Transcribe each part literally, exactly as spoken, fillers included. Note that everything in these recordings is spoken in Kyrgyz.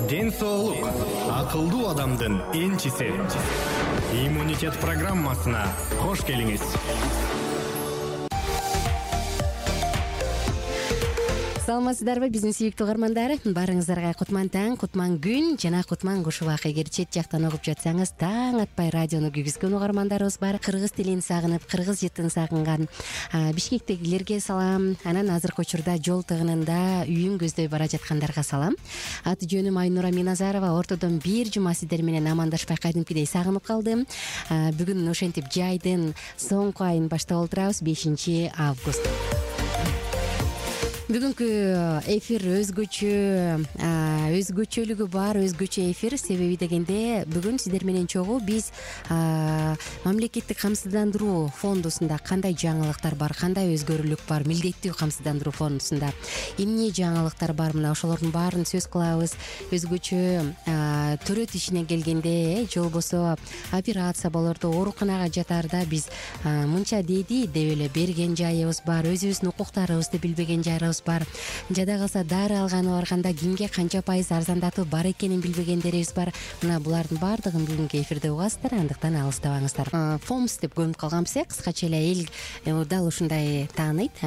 Ден соолук акылдуу адамдын энчиси. Иммунитет программасына кош келиңиз. Саламатсыздарбы биздин сүйүктүү угармандар? Баарыңыздарга кутман таң, кутман күн жана кутман куш убак. Эгер чет жактан угуп жатсаңыз, таң атпай радиону күйгүзгөн угармандарыбыз бар. Кыргыз тилин сагынып, кыргыз жытын сагынган Бишкектегилерге салам. Анан азыркы учурда жол тыгынында үйүн көздөй бара жаткандарга салам. Аты жөнүм Айнура Миназарова. Ортодон бир жума сиздер менен амандашпай кадимкидей сагынып калдым. Бүгүн ошентип жайдын соңку айын баштап отурабыз, бешинчи август. Бүгүнкү эфир өзгөчө, өзгөчөлүгү бар, өзгөчө эфир. Себеби дегенде бүгүн сиздер менен чогуу биз мамлекеттик камсыздандыруу фондусунда кандай жаңылыктар бар, кандай өзгөрүүлүк бар, милдеттүү камсыздандыруу фондусунда эмне жаңылыктар бар, мына ошолордун баарын сөз кылабыз. Өзгөчө төрөт ишине келгенде, же болбосо операция болордо, ооруканага жатаарда биз мынча деди деп эле берген жайыбыз бар, өзүбүздүн укуктарыбызды билбеген жайыбыз бар. Жада калса дары алганы барганда кимге канча пайыз арзандатуу бар экенин билбегендерибиз бар. Мына булардын баардыгын бүгүнкү эфирде угасыздар, андыктан алыстабаңыздар. Фомс деп көнүп калганбыз э, кыскача эле эл дал ушундай тааныйт.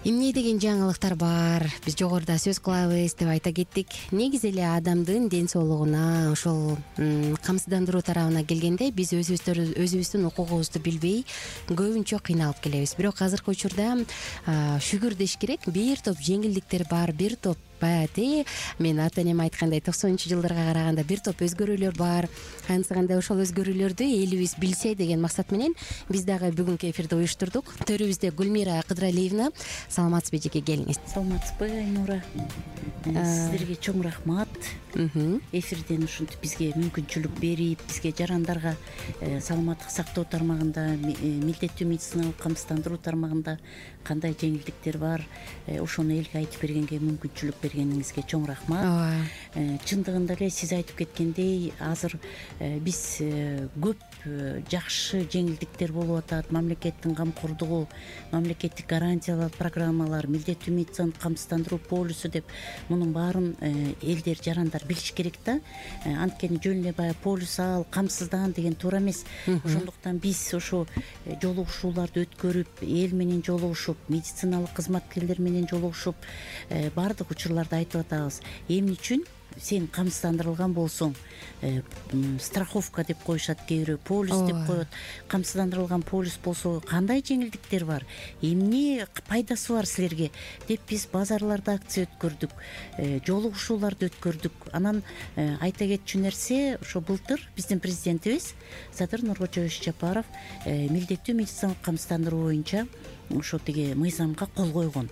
Эмне деген жаңылыктар бар, биз жогоруда сөз кылабыз деп айта кеттик. Негизи эле адамдын ден соолугуна, ошол камсыздандыруу тарабына келгенде биз өзүбүздүн укугубузду билбей көбүнчө кыйналып келебиз. Бирок азыркы учурда шүгүр деш керек, бир топ жеңилдиктер бар, бир топ баягы мен ата энем айткандай токсонунчу жылдарга караганда бир топ өзгөрүүлөр бар. Ансыганда ошол өзгөрүүлөрдү элибиз билсе деген максат менен биз дагы бүгүнкү эфирди уюштурдук. Төрүбүздө Гүлмира Кыдыралиевна. Саламатсызбы эжеке, келиңиз. Саламатсызбы Айнура? Сиздерге чоң рахмат. Эфирден ушинтип бизге мүмкүнчүлүк берип, бизге жарандарга саламаттык сактоо тармагында, милдеттүү медициналык камсыздандыруу тармагында кандай жеңилдиктер бар, ошону элге айтып бергенге мүмкүнчүлүк бергениңизге чоң рахмат. Чындыгында эле сиз айтып кеткендей, азыр биз көп жакшы жеңилдиктер болуп атат. Мамлекеттин камкордугу, мамлекеттик гарантиялар, программалар, милдеттүү медициналык камсыздандыруу полису деп мунун баарын элдер, жарандар билиш керек да. Анткени жөн эле баягы полис ал, камсыздан деген туура эмес. Ошондуктан биз ошо жолугушууларды өткөрүп, эл менен жолугушуп, медициналык кызматкерлер менен жолугушуп, баардык учурларды айтып атабыз. Эмне үчүн сен камсыздандырылган болсоң, страховка деп коюшат кээ бирөө, полис деп коет. Камсыздандырылган полис болсо кандай жеңилдиктер бар, эмне пайдасы бар силерге деп биз базарларда акция өткөрдүк, жолугушууларды өткөрдүк. Анан айта кетчү нерсе, ошо былтыр биздин президентибиз Садыр Нуркожоевич Жапаров милдеттүү медициналык камсыздандыруу боюнча ошо тиги мыйзамга кол койгон.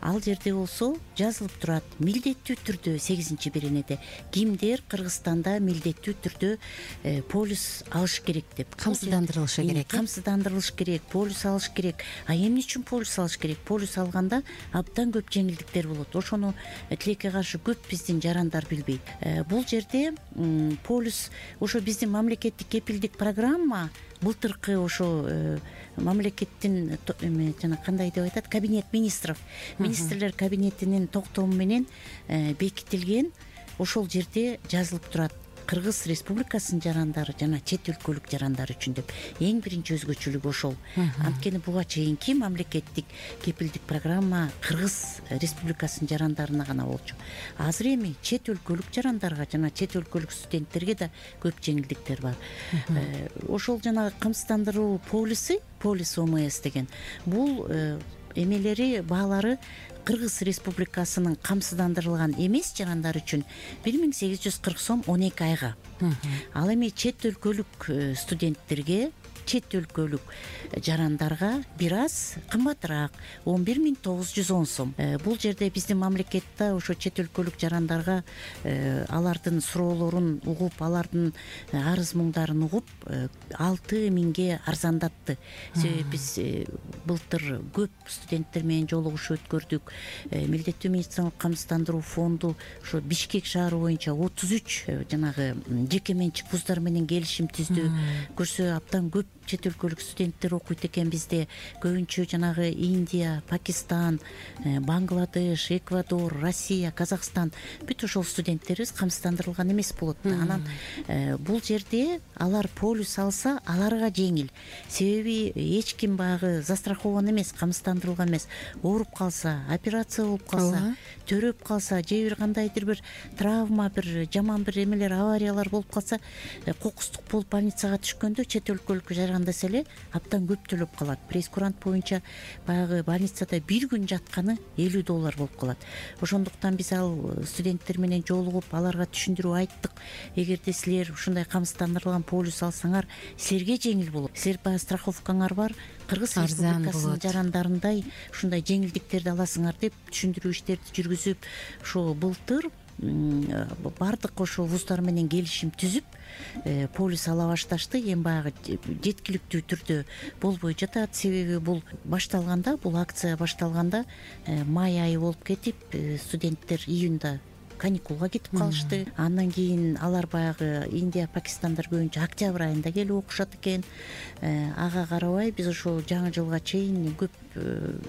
Ал жерде болсо жазылып турат, милдеттүү түрдө сегизинчи беренеде кимдер Кыргызстанда милдеттүү түрдө полис алыш керек деп. Камсыздандырылышы керек. Камсыздандырылыш керек, полис алыш керек. А эмне үчүн полис алыш керек? Полис алганда абдан көп жеңилдиктер болот. Ошону тилекке каршы көп биздин жарандар билбейт. Бул жерде полис ошо биздин мамлекеттик кепилдик программа былтыркы ошо мамлекеттин жана кандай деп айтат, кабинет министров, министрлер кабинетинин токтому менен бекитилген. Ошол жерде жазылып турат Кыргыз Республикасынын жарандары жана чет өлкөлүк жарандар үчүн деп. Эң биринчи өзгөчөлүгү ошол. Анткени буга чейинки мамлекеттик кепилдик программа Кыргыз Республикасынын жарандарына гана болчу. Азыр эми чет өлкөлүк жарандарга жана чет өлкөлүк студенттерге да көп жеңилдиктер бар. Ошол жана камсыздандыруу полиси, полис ОМС деген, бул эмелери, баалары Кыргыз Республикасынын камсыздандырылган эмес жарандар үчүн бир миң сегиз жүз кырк сом он эки айга. Ал эми чет өлкөлүк студенттерге, чет өлкөлүк жарандарга бир аз кымбатыраак, он бир миң тогуз жүз он сом. Бул жерде биздин мамлекетте ошо чет өлкөлүк жарандарга алардын суроолорун угуп, алардын арыз муңдарын угуп, алты миңге арзандатты. Себеби биз былтыр көп студенттер менен жолугушуу өткөрдүк. Милдеттүү медициналык камсыздандыруу фонду ошо Бишкек шаары боюнча отуз үч жанагы жеке менчик вуздар менен келишим түздү. Көрсө абдан көп чет өлкөлүк студенттер окуйт экен бизде. Көбүнчө жанагы Индия, Пакистан, Бангладеш, Эквадор, Россия, Казакстан бүт ошол студенттерибиз камсыздандырылган эмес болот да. Анан бул жерде алар полюс алса, аларга жеңил. Себеби эч ким баягы застрахован эмес, камсыздандырылган эмес. Ооруп калса, операция болуп калса, төрөп калса, же бир кандайдыр бир травма, бир жаман бир эмелер, авариялар болуп калса, кокустук болуп больницага түшкөндө чет өлкөлүккө жаргандаса эле абдан көп төлөп калат. Прейскурант боюнча баягы больницада бир күн жатканы элүү доллар болуп калат. Ошондуктан биз ал студенттер менен жолугуп, аларга түшүндүрүп айттык. Эгерде силер ушундай камсыздандырылган полюс алсаңар, силерге жеңил болот. Силер баягы страховкаңар бар, Кыргыз Республикасынын жарандарындай ушундай жеңилдиктерди аласыңар деп түшүндүрүү иштерди жүргүзүп, ошо былтыр бардык ошо вуздар менен келишим түзүп полюс ала башташты. Эми баягы жеткиликтүү түрдө болбой жатат. Себеби бул башталганда, бул акция башталганда май айы болуп кетип, студенттер июнда каникулга кетип калышты. Андан кийин алар баягы Индия, Пакистандар көбүнчө октябрь айында келип окушат экен. Ага карабай биз ошо жаңы жылга чейин көп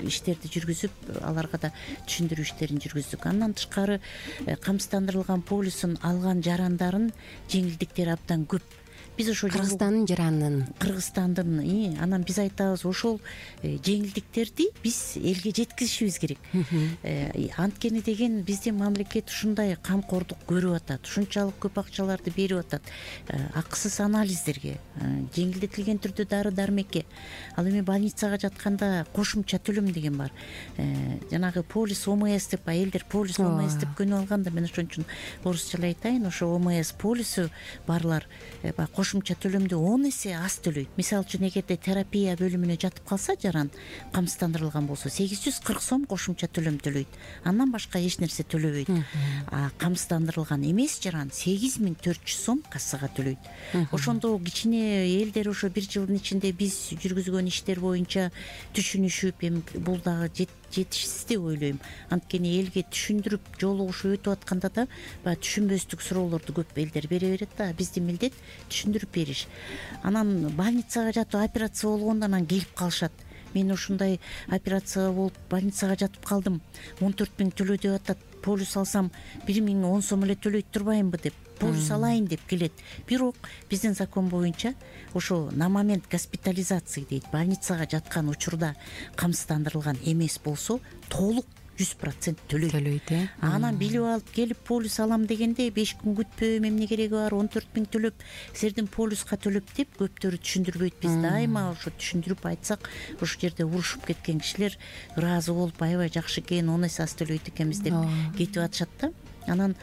иштерди жүргүзүп, аларга да түшүндүрүү иштерин жүргүздүк. Андан тышкары камсыздандырылган полюсун алган жарандардын жеңилдиктери абдан көп. Биз ошо Кыргызстандын жаранын Кыргызстандын анан биз айтабыз, ошол жеңилдиктерди биз элге жеткизишибиз керек. Анткени деген биздин мамлекет ушундай камкордук көрүп атат, ушунчалык көп акчаларды берип атат акысыз анализдерге, жеңилдетилген түрдө дары дармекке. Ал эми больницага жатканда кошумча төлөм деген бар. Жанагы полис ОМС деп, элдер полис ОМС деп көнүп алганда, мен ошон үчүн орусчалай айтайын, ошо ОМС полису барлар кошумча төлөмдү он эсе аз төлөйт. Мисалы үчүн эгерде терапия бөлүмүнө жатып калса жаран, камсыздандырылган болсо сегиз жүз кырк сом кошумча төлөм төлөйт. Андан башка эч нерсе төлөбөйт. А камсыздандырылган эмес жаран сегиз миң төрт жүз сом кассага төлөйт. Ошондо кичине элдер ошо бир жылдын ичинде биз жүргүзгөн иштер боюнча түшүнүшүп, эми бул дагы жетишсиз деп ойлойм. Анткени элге түшүндүрүп, жолугушуп өтүп атканда да баягы түшүнбөстүк суроолорду көп элдер бере берет да. Биздин милдет түшүндүрүп бериш. Анан больницага жатып операция болгондо анан келип калышат. Мен ушундай операция болуп больницага жатып калдым, он төрт миң төлө деп атат. Полюс алсам бир миң он сом эле төлөйт турбаймынбы деп, полюс алайын деп келет. Бирок биздин закон боюнча ошо на момент госпитализации дейт, больницага жаткан учурда камсыздандырылган эмес болсо толук жүз процент төлөйт. Төлөйт, э. Анан билип алып келип полюс алам дегенде беш күн күтпөйм, эмне кереги бар, он төрт миң төлөп, силердин полюска төлөп деп көптөрү түшүндүрбөйт. Биз дайыма ошо түшүндүрүп айтсак, ошол жерде урушуп кеткен кишилер ыраазы болуп, аябай жакшы экен, он эсе аз төлөйт экенбиз деп кетип атышат да. Анан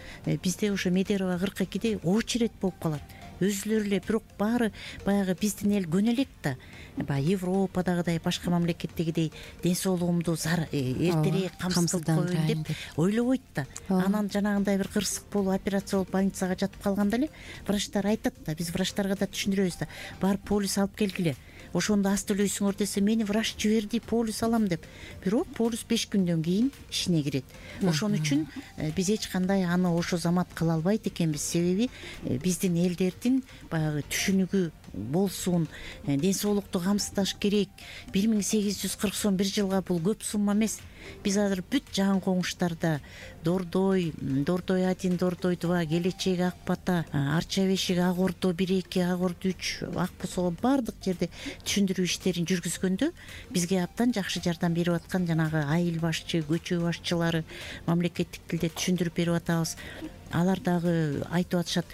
бизде ошо Медерова кырк экиде очередь болуп калат. Өзүлөрү эле, бирок баары баягы биздин эл көнө элек да. Баягы Европадагыдай, башка мамлекеттегидей ден соолугумду эртерээк камсыздап коеюн деп ойлобойт да. Анан жанагындай бир кырсык болуп, операция болуп больницага жатып калганда эле врачтар айтат да, биз врачтарга да түшүндүрөбүз да, барып полюс алып келгиле. Ошондо аз төлөйсүңөр десе, мени врач жиберди, полюс алам деп. Бирок полюс беш күндөн кийин ишине кирет. Ошон үчүн биз эч кандай аны ошо замат кыла албайт экенбиз. Себеби биздин элдердин баягы түшүнүгү болсун, ден соолукту камсыздаш керек. бир миң сегиз жүз кырк сом бир жылга бул көп сумма эмес. Биз азыр бүт жакын коңуштарда Дордой, Дордой один, Дордой два, Келечек, Ак Бата, Арча бешик, Ак Ордо бир эки, Ак Ордо үч, Ак Босоо баардык жерде түшүндүрүү иштерин жүргүзгөндө бизге абдан жакшы жардам берип аткан жанагы айыл башчы, көчө башчылары, мамлекеттик тилде түшүндүрүп берип атабыз. Алар дагы айтып атышат,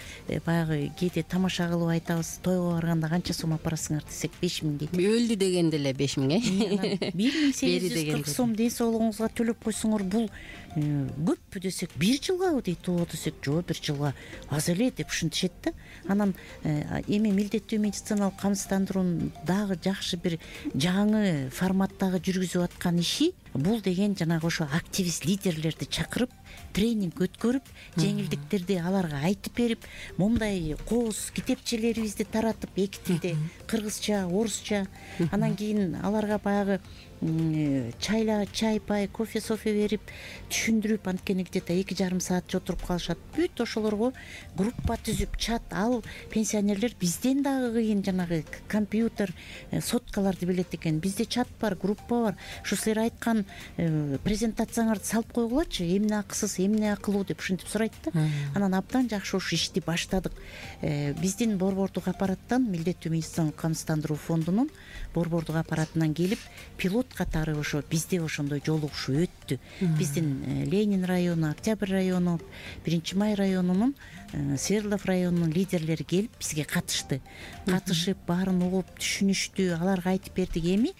баягы кээде тамаша кылып айтабыз, тойго барганда канча сом апарасыңар десек, беш миң дейт. Өлдү дегенде эле беш миң, э. бир миң сегиз жүз кырк сом ден соолугуңузга төлөп койсоңор, бул көппү десек, бир жылгабы дейт. Оо десек, жок, бир жылга аз эле деп ушинтишет да. Анан эми милдеттүү медициналык камсыздандыруунун дагы жакшы бир жаңы форматтагы жүргүзүп аткан иши бул деген жанагы ошо активист лидерлерди чакырып тренинг өткөрүп жеңилдиктерди аларга айтып берип, момундай кооз китепчелерибизди таратып эки тилде, кыргызча, орусча, анан кийин аларга баягы чайла чай пай кофе софе берип түшүндүрүп, анткени где то эки жарым саатча отуруп калышат. Бүт ошолорго группа түзүп, чат, ал пенсионерлер бизден дагы кыйын жанагы компьютер, соткаларды билет экен. Бизде чат бар, группа бар. Ушу силер айткан презентацияңарды салып койгулачы, эмне акысыз, эмне акылуу деп ушинтип сурайт да. Анан абдан жакшы ушу ишти баштадык. Биздин борбордук аппараттан, милдеттүү медициналык камсыздандыруу фондунун борбордук аппаратынан келип, пилот катары ошо бизде ошондой жолугушуу өттү. Биздин Ленин району, Октябрь району, Биринчи май районунун, Свердлов районунун лидерлери келип бизге катышты. Катышып, баарын угуп, түшүнүштү, аларга айтып бердик. Эми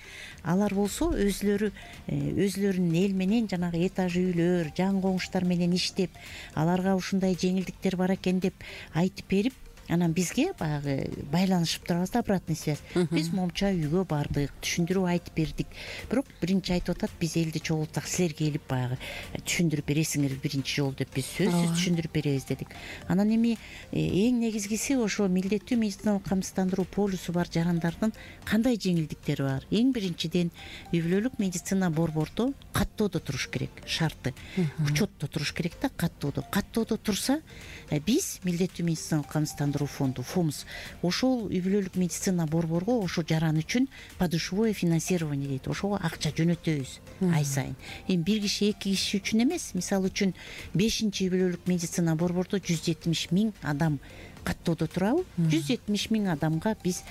алар болсо өзлөрү өзлөрүнүн эл менен жанагы этаж үйлөр, жан коңуштар менен иштеп, аларга ушундай жеңилдиктер бар экен деп айтып берип, анан бизге баягы байланышып турабыз да, обратный связь. Биз момча үйгө бардык, түшүндүрүп айтып бердик. Бирок биринчи айтып атат, биз элди чогултсак силер келип баягы түшүндүрүп бересиңер биринчи жолу деп, биз сөзсүз түшүндүрүп беребиз дедик. Анан эми эң негизгиси ошо милдеттүү медициналык камсыздандыруу полюсу бар жарандардын кандай жеңилдиктери бар? Эң биринчиден үй бүлөлүк медицина борбордо каттоодо туруш керек, шарты. Учетто туруш керек да, каттоодо. Каттоодо турса, биз милдеттүү медициналык камсыздандыруу фонду ФОМС ошол үй бүлөлүк медицина борборго ошо жаран үчүн подушевое финансирование дейт. Ошого акча жөнөтөбүз ай сайын. Эми бир киши, эки киши үчүн эмес. Мисалы үчүн бешинчи үй бүлөлүк медицина борбордо жүз жетимиш миң адам каттоодо турабы? жүз жетимиш миң адамга биз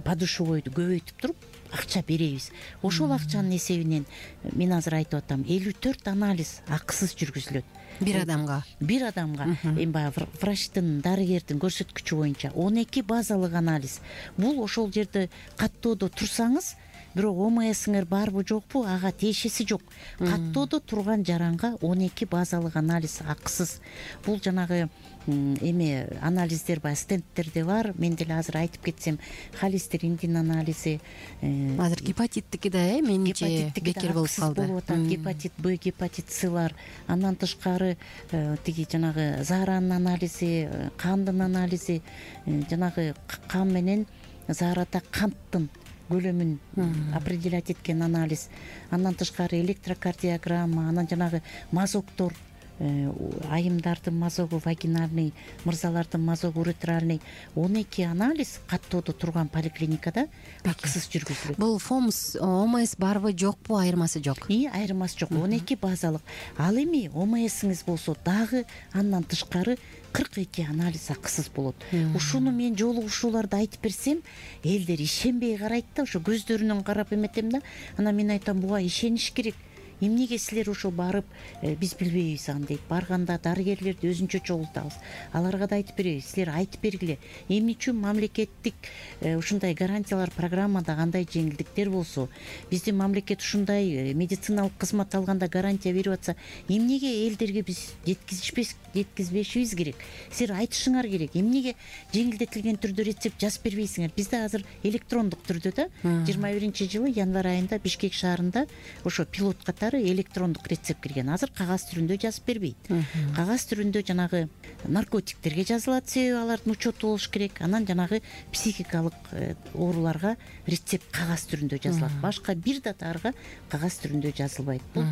подушевойду көбөйтүп туруп акча беребиз. Ошол акчанын эсебинен мен азыр айтып атам, элүү төрт анализ акысыз жүргүзүлөт. Бир адамга. Бир адамга. Эми баягы врачтын, дарыгердин көрсөткүчү боюнча он эки базалык анализ. Бул ошол жерде каттоодо турсаңыз, бирок ОМСиңер барбы жокпу, ага тиешеси жок. Каттоодо турган жаранга он эки базалык анализ акысыз. Бул жанагы эме анализдер баягы стендтерде бар. Мен деле азыр айтып кетсем, холестериндин анализи, азыр гепатиттики да, э, менимче бекер болуп калды. Гепатит Б, гепатит С бар. Андан тышкары тиги жанагы зааранын анализи, кандын анализи, жанагы кан менен заарада канттын көлөмүн определять эткен анализ. Андан тышкары электрокардиограмма, анан жанагы мазоктор, айымдардын мазогу вагинальный, мырзалардын мазогу уретральный, он эки анализ каттоодо турган поликлиникада акысыз жүргүзүлөт. Бул ФОМС, ОМС барбы жокпу, айырмасы жок? И айырмасы жок. он эки базалык. Ал эми ОМСиңиз болсо дагы андан тышкары кырк эки анализ акысыз болот. Ушуну мен жолугушууларда айтып берсем, элдер ишенбей карайт да, ошо көздөрүнөн карап эметем да. Анан мен айтам, буга ишениш керек. Эмнеге силер ошо барып, биз билбейбиз аны дейт. Барганда дарыгерлерди өзүнчө чогултабыз. Аларга да айтып беребиз, силер айтып бергиле. Эмне үчүн мамлекеттик ушундай гарантиялар программада кандай жеңилдиктер болсо, биздин мамлекет ушундай медициналык кызмат алганда гарантия берип атса, эмнеге элдерге биз жеткизишпес жеткизбешибиз керек? Силер айтышыңар керек. Эмнеге жеңилдетилген түрдө рецепт жазып бербейсиңер? Бизде азыр электрондук түрдө да жыйырма биринчи жылы январь айында Бишкек шаарында ошо пилот катары электрондук рецепт кирген. Азыр кагаз түрүндө жазып бербейт. Кагаз түрүндө жанагы наркотиктерге жазылат, себеби алардын учету болуш керек. Анан жанагы психикалык ооруларга рецепт кагаз түрүндө жазылат. Башка бир да дарыга кагаз түрүндө жазылбайт. Бул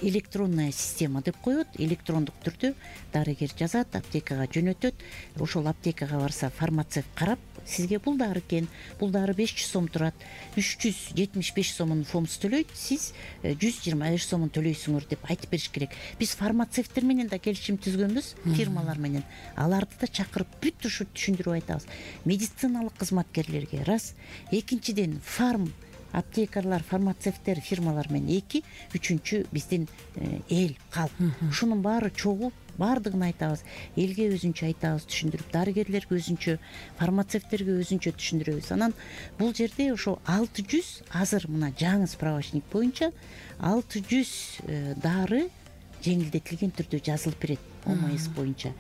электронная система деп коет. Электрондук түрдө дарыгер жазат, аптекага жөнөтөт. Ошол аптекага барса фармацевт карап, сизге бул дары экен, бул дары беш жүз сом турат, үч жүз жетимиш беш сомун ФОМС төлөйт, сиз жүз жыйырма беш сомун төлөйсүңөр деп айтып бериш керек. Биз фармацевттер менен да келишим түзгөнбүз, фирмалар менен. Аларды да чакырып бүт ушу түшүндүрүп айтабыз. Медициналык кызматкерлерге раз, экинчиден фарм аптекарлар, фармацевттер, фирмалар менен эки, үчүнчү биздин эл, калк. Ушунун баары чогуу бардыгын айтабыз. Элге өзүнчө айтабыз, түшүндүрүп, дарыгерлерге өзүнчө, фармацевттерге өзүнчө түшүндүрөбүз. Анан бул жерде ошо алты жүз, азыр мына жаңы справочник боюнча алты жүз дары жеңилдетилген түрдө жазылып берет ОМС боюнча.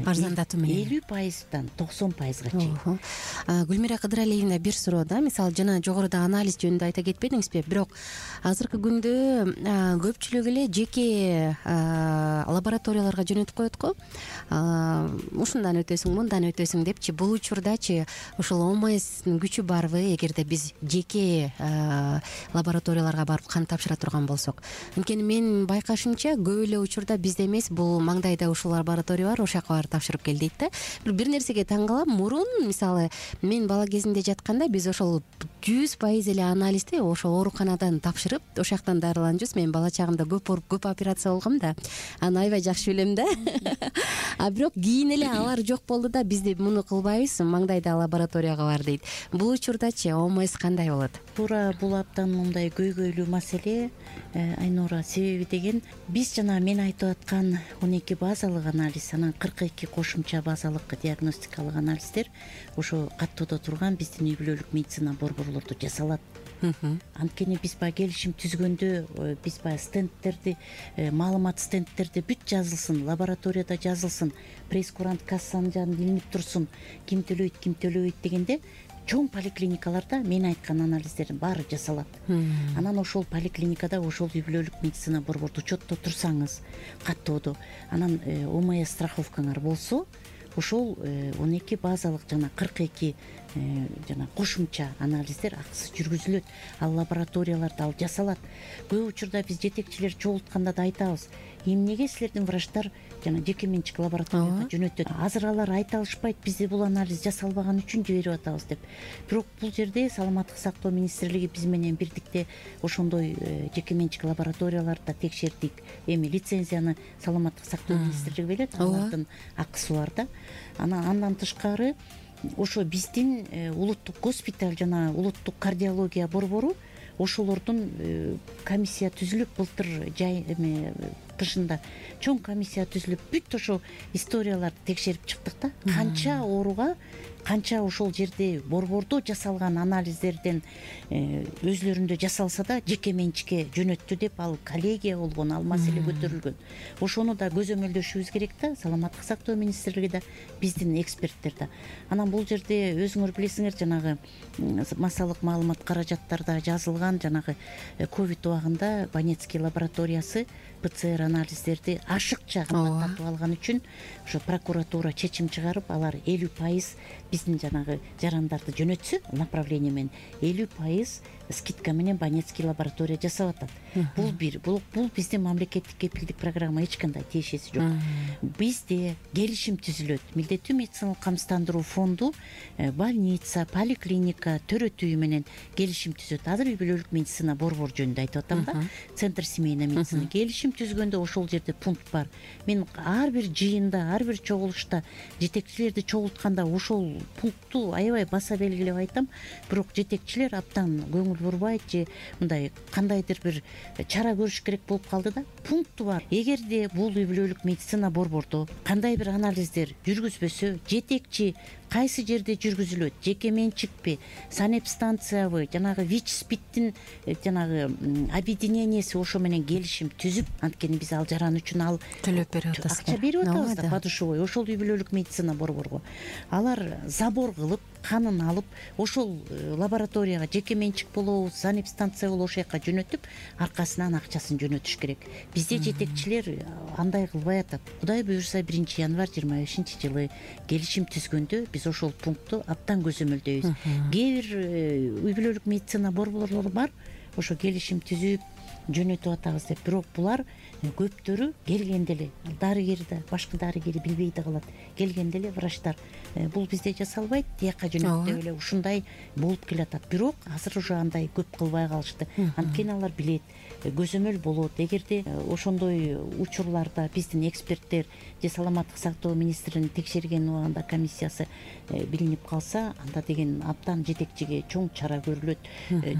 арзандатуу менен элүү пайыздан токсон пайызга чейин. Гүлмира Кыдыралиевна, бир суроо да, мисалы жана жогоруда анализ жөнүндө айта кетпедиңизби, бирок азыркы күндө көпчүлүк эле жеке лабораторияларга жөнөтүп коет го. Ушундан өтөсүң, мындан өтөсүң депчи. Бул учурдачы ушул ОМСдин күчү барбы, эгерде биз жеке лабораторияларга барып кан тапшыра турган болсок? Анткени мен байкашымча көп эле учурда бизде эмес, бул маңдайда ушул лаборатория бар, ошол жака барып тапшырып кел дейт да. Бир нерсеге таң калам. Мурун мисалы мен бала кезимде жатканда биз ошол жүз пайыз эле анализди ошол ооруканадан тапшырып, ошол жактан дарыланчубуз. Мен бала чагымда көп көп операция болгом да, аны аябай жакшы билем да. А бирок кийин эле алар жок болду да, бизде муну кылбайбыз, маңдайда лабораторияга бар дейт. Бул учурдачы ОМС кандай болот? Туура, бул абдан мындай көйгөйлүү маселе Айнура. Себеби деген, биз жана мен айтып аткан он эки базалык анализ, анан кырк эки кошумча базалык диагностикалык анализдер ошо каттоодо турган биздин үй бүлөлүк медицина борборлордо жасалат. Анткени биз баягы келишим түзгөндө биз баягы стендтерди, маалымат стендтерде бүт жазылсын, лабораторияда жазылсын, прейскурант кассанын жанында илинип турсун, ким төлөйт, ким төлөбөйт дегенде чоң поликлиникаларда мен айткан анализдердин баары жасалат. Анан ошол поликлиникада ошол үй бүлөлүк медицина борбордо учетто турсаңыз, каттоодо, анан ОМС страховкаңар болсо, ошол он эки базалык жана кырк эки жана кошумча анализдер акысыз жүргүзүлөт. Ал лабораторияларда ал жасалат. Көп учурда биз жетекчилер чогултканда да айтабыз, эмнеге силердин врачтар жана жеке менчик лабораторияга жөнөтөт? Азыр алар айта алышпайт, бизде бул анализ жасалбаган үчүн жиберип атабыз деп. Бирок бул жерде саламаттык сактоо министрлиги биз менен бирдикте ошондой жеке менчик лабораторияларды текшердик. Эми лицензияны саламаттык сактоо министрлиги берет, алардын акысы бар да. Анан андан тышкары ошо биздин улуттук госпиталь жана улуттук кардиология борбору ошолордун комиссия түзүлүп, былтыр жай эме кышында чоң комиссия түзүлүп, бүт ошо историяларды текшерип чыктык да. Канча ооруга, канча ошол жерде борбордо жасалган анализдерден өзлөрүндө жасалса да жеке менчикке жөнөттү деп ал коллегия болгон, ал маселе көтөрүлгөн. Ошону да көзөмөлдөшүбүз керек да, саламаттык сактоо министрлиги да, биздин эксперттер да. Анан бул жерде өзүңөр билесиңер, жанагы массалык маалымат каражаттарда жазылган, жанагы ковид убагында Банецкий лабораториясы ПЦР анализдерди ашыкча кымбаттатып алган үчүн ошо прокуратура чечим чыгарып, алар элүү пайыз биздин жанагы жарандарды жөнөтсө, направление менен элүү пайыз скидка менен Банецкий лаборатория жасап атат. Бул бир, бул биздин мамлекеттик кепилдик программа эч кандай тиешеси жок. Бизде келишим түзүлөт. Милдеттүү медициналык камсыздандыруу фонду больница, поликлиника төрөтүү менен келишим түзөт. Азыр үй бүлөлүк медицина борбор жөнүндө айтып атам да. Центр семейной медицины келишим түзгөндө ошол жерде пункт бар. Мен ар бир жыйында, ар бир чогулушта жетекчилерди чогултканда ошол пунктту аябай баса белгилеп айтам. Бирок жетекчилер абдан көңүл бурбайт же мындай кандайдыр бир чара көрүш керек болуп калды да. Пункту бар. Эгерде бул үй бүлөлүк медицина борбордо кандай бир анализдер жүргүзбөсө, жетекчи кайсы жерде жүргүзүлөт, жеке менчикпи, санэпстанциябы, жанагы ВИЧ-СПИДтин жанагы объединениясы ошо менен келишим түзүп, анткени биз ал жаран үчүн ал төлөп берип атасыздар. Акча берип атабыз да, подушевой, ошол үй бүлөлүк медицина борборго. Алар забор кылып, канын алып, ошол лабораторияга жеке менчик болобу, санэпстанция болобу ошол жака жөнөтүп, аркасынан акчасын жөнөтүш керек. Бизде жетекчилер андай кылбай атат. Кудай буюрса биринчи январь жыйырма бешинчи жылы келишим түзгөндө биз ошол пунктту абдан көзөмөлдөйбүз. Кээ бир үй бүлөлүк медицина борборлору бар, ошо келишим түзүп жөнөтүп атабыз деп. Бирок булар көптөрү келгенде эле, дарыгер да, башка дарыгери билбей да калат. Келгенде эле врачтар бул бизде жасалбайт, тияка жөнөт деп эле ушундай болуп келатат. Бирок азыр уже андай көп кылбай калышты. Анткени алар билет, көзөмөл болот. Эгерде ошондой учурларда биздин эксперттер же саламаттык сактоо министринин текшерген убагында комиссиясы билинип калса, анда деген абдан жетекчиге чоң чара көрүлөт,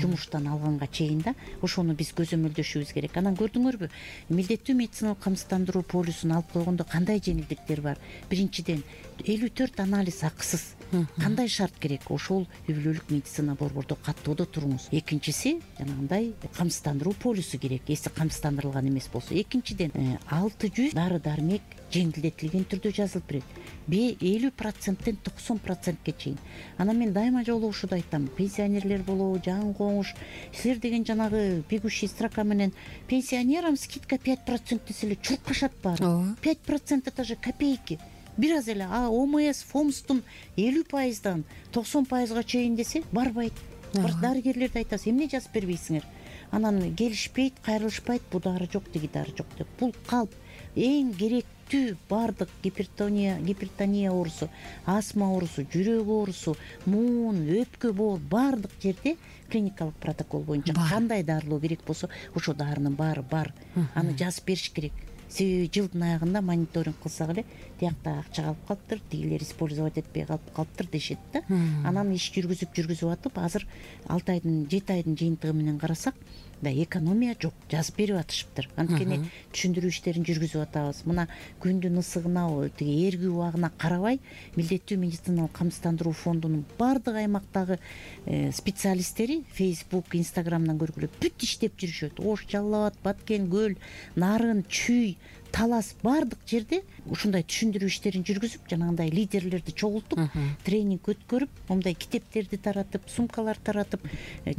жумуштан алганга чейин да. Ошону биз көзөмөлдөшүбүз керек. Анан көрдүңөрбү, милдеттүү медициналык камсыздандыруу полюсун алып койгондо кандай жеңилдиктер бар? Биринчиден, элүү төрт анализ акысыз. Кандай шарт керек? Ошол үй бүлөлүк медицина борбордо каттоодо туруңуз. Экинчиси, жанагындай камсыздандыруу полюсу керек, эси камсыздандырылган эмес болсо. Экинчиден, алты жүз дары дармек жеңилдетилген түрдө жазылып берет, элүү проценттен токсон процентке чейин. Анан мен дайыма жолу ушуну айтам, пенсионерлер болобу, жаңы коңуш, силер деген жанагы бегущий строка менен пенсионерам скидка пять процент десе эле чуркашат баары. пять процент это же копейки. Бир аз эле а ОМС фомстун элүү пайыздан токсон пайызга чейин десе барбайт. Дарыгерлерди айтасыз, эмне жазып бербейсиңер? Анан келишпейт, кайрылышпайт, бу дары жок, тиги дары жок деп. Бул калп эң керектүү баардык гипертония, гипертония оорусу, астма оорусу, жүрөк оорусу, муун, өпкө боор баардык жерде клиникалык протокол боюнча кандай дарылоо керек болсо ошол дарынын баары бар. Аны жазып бериш керек. Себеби жылдын аягында мониторинг кылсак эле тиякта акча калып калыптыр, тигилер использовать этпей калып калыптыр дешет да. Анан иш жүргүзүп жүргүзүп атып азыр алты айдын жети айдын жыйынтыгы менен карасак да экономия жок, жазып берип атышыптыр. Анткени түшүндүрүү иштерин жүргүзүп атабыз. Мына күндүн ысыгына, тиги эргүү убагына карабай милдеттүү медициналык камсыздандыруу фондунун баардык аймактагы специалисттери Facebook, Instagram'дан көргүлө бүт иштеп жүрүшөт. Ош, Жалал абад, Баткен, Көл, Нарын, Чүй, Талас баардык жерде ушундай түшүндүрүү иштерин жүргүзүп, жанагындай лидерлерди чогултуп, тренинг өткөрүп, мындай китептерди таратып, сумкалар таратып,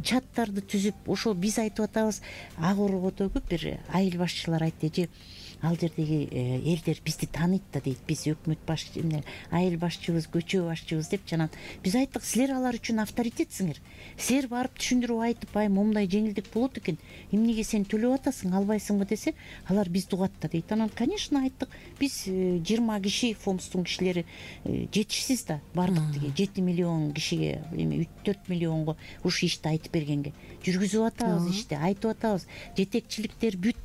чаттарды түзүп, ошол биз айтып атабыз. Ак Оргодогу бир айыл башчылар айтты, же ал жердеги элдер бизди тааныйт да дейт, биз өкмөт башчы, айыл башчыбыз, көчө башчыбыз деп. Жанагы биз айттык, силер алар үчүн авторитетсиңер. Силер барып түшүндүрүп айтып, ай момундай жеңилдик болот экен, эмнеге сен төлөп атасың, албайсыңбы десе, алар бизди угат да дейт. Анан конечно айттык, биз жыйырма киши, фомстун кишилери жетишсиз да, бардык тиги жети миллион кишиге, эми төрт миллионго ушу ишти айтып бергенге жүргүзүп атабыз, ишти айтып атабыз. Жетекчиликтер бүт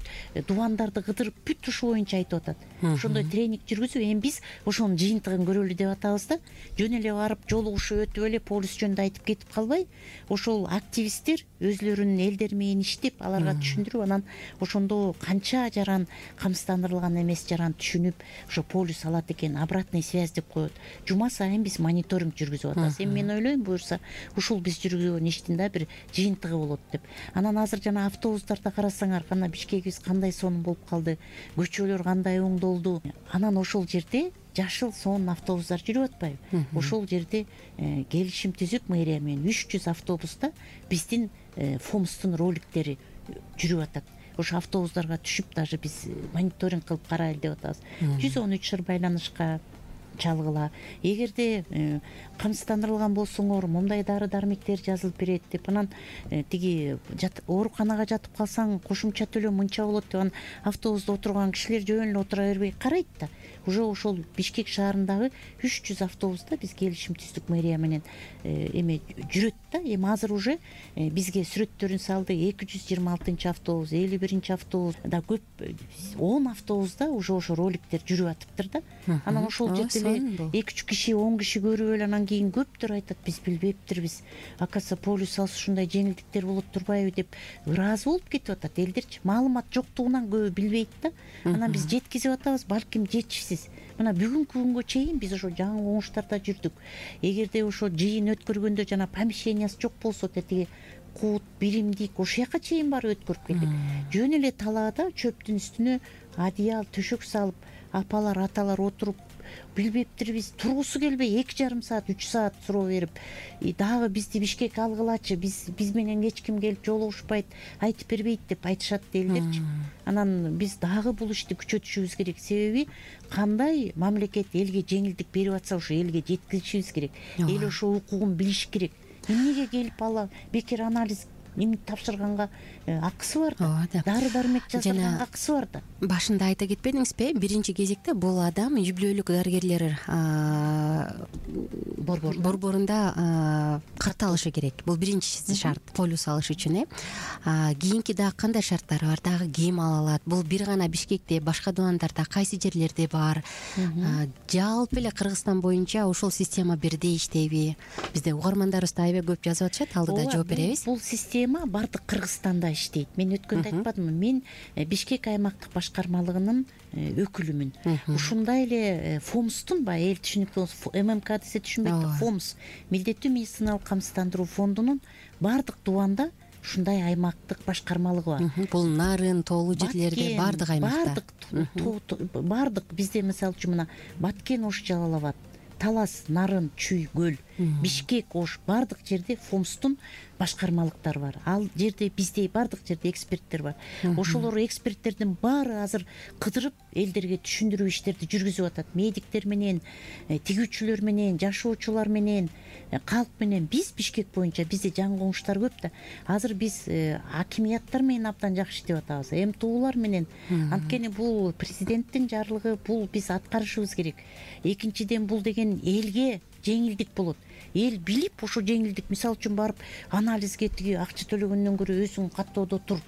дубандарды кыдырып бүт ушул боюнча айтып атат. Ошондой тренинг жүргүзүп, эми биз ошонун жыйынтыгын көрөлү деп атабыз да. Жөн эле барып жолугушуп өтүп эле полис жөнүндө айтып кетип калбай, ошол активисттер өзлөрүнүн элдери менен иштеп, аларга түшүндүрүп, анан ошондо канча жаран камсыздандырылган эмес жаран түшүнүп, ошо полис алат экен, обратный связь деп коет. Жума сайын биз мониторинг жүргүзүп атабыз. Эми мен ойлойм, буюрса ушул биз жүргүзгөн иштин да бир жыйынтыгы болот деп. Анан азыр жана автобустарда карасаңар, кана Бишкекибиз кандай сонун болуп калды, көчөлөр кандай оңдолду. Анан ошол жерде жашыл сонун автобустар жүрүп атпайбы? Ошол жерде келишим түзүп мэрия менен үч жүз автобуста биздин фомстун роликтери жүрүп атат. Ошо автобустарга түшүп, даже биз мониторинг кылып карайлы деп атабыз. жүз он үч ыр байланышка чалгыла. Эгерде камсыздандырылган болсоңор, мындай дары дармектер жазылып берет деп, анан тиги ооруканага жатып калсаң кошумча төлөө мынча болот деп, анан автобуста отурган кишилер жөн эле отура бербей карайт да. Уже ошол Бишкек шаарындагы үч жүз автобуста биз келишим түздүк мэрия менен эме жүрөт да. Эми азыр уже бизге сүрөттөрүн салды. эки жүз жыйырма алтынчы автобус, элүү биринчи автобус да, көп он автобуста уже ошо роликтер жүрүп атыптыр да. Анан ошол жерде эле эки үч киши, он киши көрүп эле анан кийин көптөр айтат, биз билбептирбиз. Акаса полис алса ушундай жеңилдиктер болот турбайбы деп ыраазы болуп кетип атат элдерчи. Маалымат жоктугунан көбү билбейт да. Анан биз жеткизип атабыз, балким жетишсиз. Мына бүгүнкү күнгө чейин биз ошо жаңы коңуштарда жүрдүк. Эгерде ошо жыйын өткөргөндө жана помещениясы жок болсо, тетиги кут, биримдик ошол жака чейин барып өткөрүп келдик. Жөн эле талаада чөптүн үстүнө одеял, төшөк салып, апалар, аталар отуруп, билбептирбиз, тургусу келбей эки жарым саат, үч саат суроо берип, дагы бизди Бишкекке алгылачы, биз биз менен эч ким келип жолугушпайт, айтып бербейт деп айтышат элдерчи. Анан биз дагы бул ишти күчөтүшүбүз керек. Себеби кандай мамлекет элге жеңилдик берип атса, ошо элге жеткизишибиз керек. Эл ошо укугун билиш керек. Эмнеге келип ала бекер анализ эми тапшырганга акысы бар да, дары дармек жасырганга акысы бар да. Башында айта кетпедиңизби, биринчи кезекте бул адам үй бүлөлүк дарыгерлер борборунда катталышы керек. Бул биринчиси шарт, полюс алыш үчүн. Э кийинки дагы кандай шарттары бар, дагы ким ала алат? Бул бир гана Бишкекте, башка дубандарда кайсы жерлерде бар? Жалпы эле Кыргызстан боюнча ушул система бирдей иштейби? Бизде угармандарыбыз да аябай көп жазып атышат, алдыда жооп беребиз. Бул система бардык Кыргызстанда иштейт. Мен өткөндө айтпадымбы, мен Бишкек аймактык башкармалыгынын өкүлүмүн. Ушундай эле фомстун баягы эл түшүнүктүү, ММК десе түшүнбөйт, фомс, милдеттүү медициналык камсыздандыруу фондунун бардык дубанда ушундай аймактык башкармалыгы бар. Бул нарын тоолуу жерлерде баардык аймакта баардык баардык бизде мисалы үчүн мына Баткен, Ош, Жалал Абад, Талас, Нарын, Чүй, Көл, Бишкек, Ош баардык жерде ФОМСтун башкармалыктары бар. Ал жерде бизде баардык жерде эксперттер бар. Ошолор эксперттердин баары азыр кыдырып элдерге түшүндүрүү иштерди жүргүзүп атат. Медиктер менен, тигүүчүлөр менен, жашоочулар менен, калк менен. Биз Бишкек боюнча бизде жаңы коңуштар көп да. Азыр биз акимияттар менен абдан жакшы иштеп атабыз. МТУлар менен. Анткени бул президенттин жарлыгы, бул биз аткарышыбыз керек. Экинчиден бул деген элге жеңилдик болот. Эл билип ошо жеңилдик, мисалы үчүн барып анализге тиги акча төлөгөндөн көрө өзүң каттоодо тур.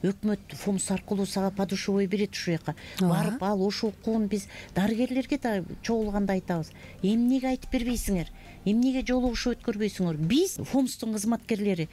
Өкмөт ФОМС аркылуу сага подушевой берет ушул жака. Барып ал ошол укугун биз дарыгерлерге да чогулганда айтабыз. Эмнеге айтып бербейсиңер? Эмнеге жолугушуу өткөрбөйсүңөр? Биз ФОМСтун кызматкерлери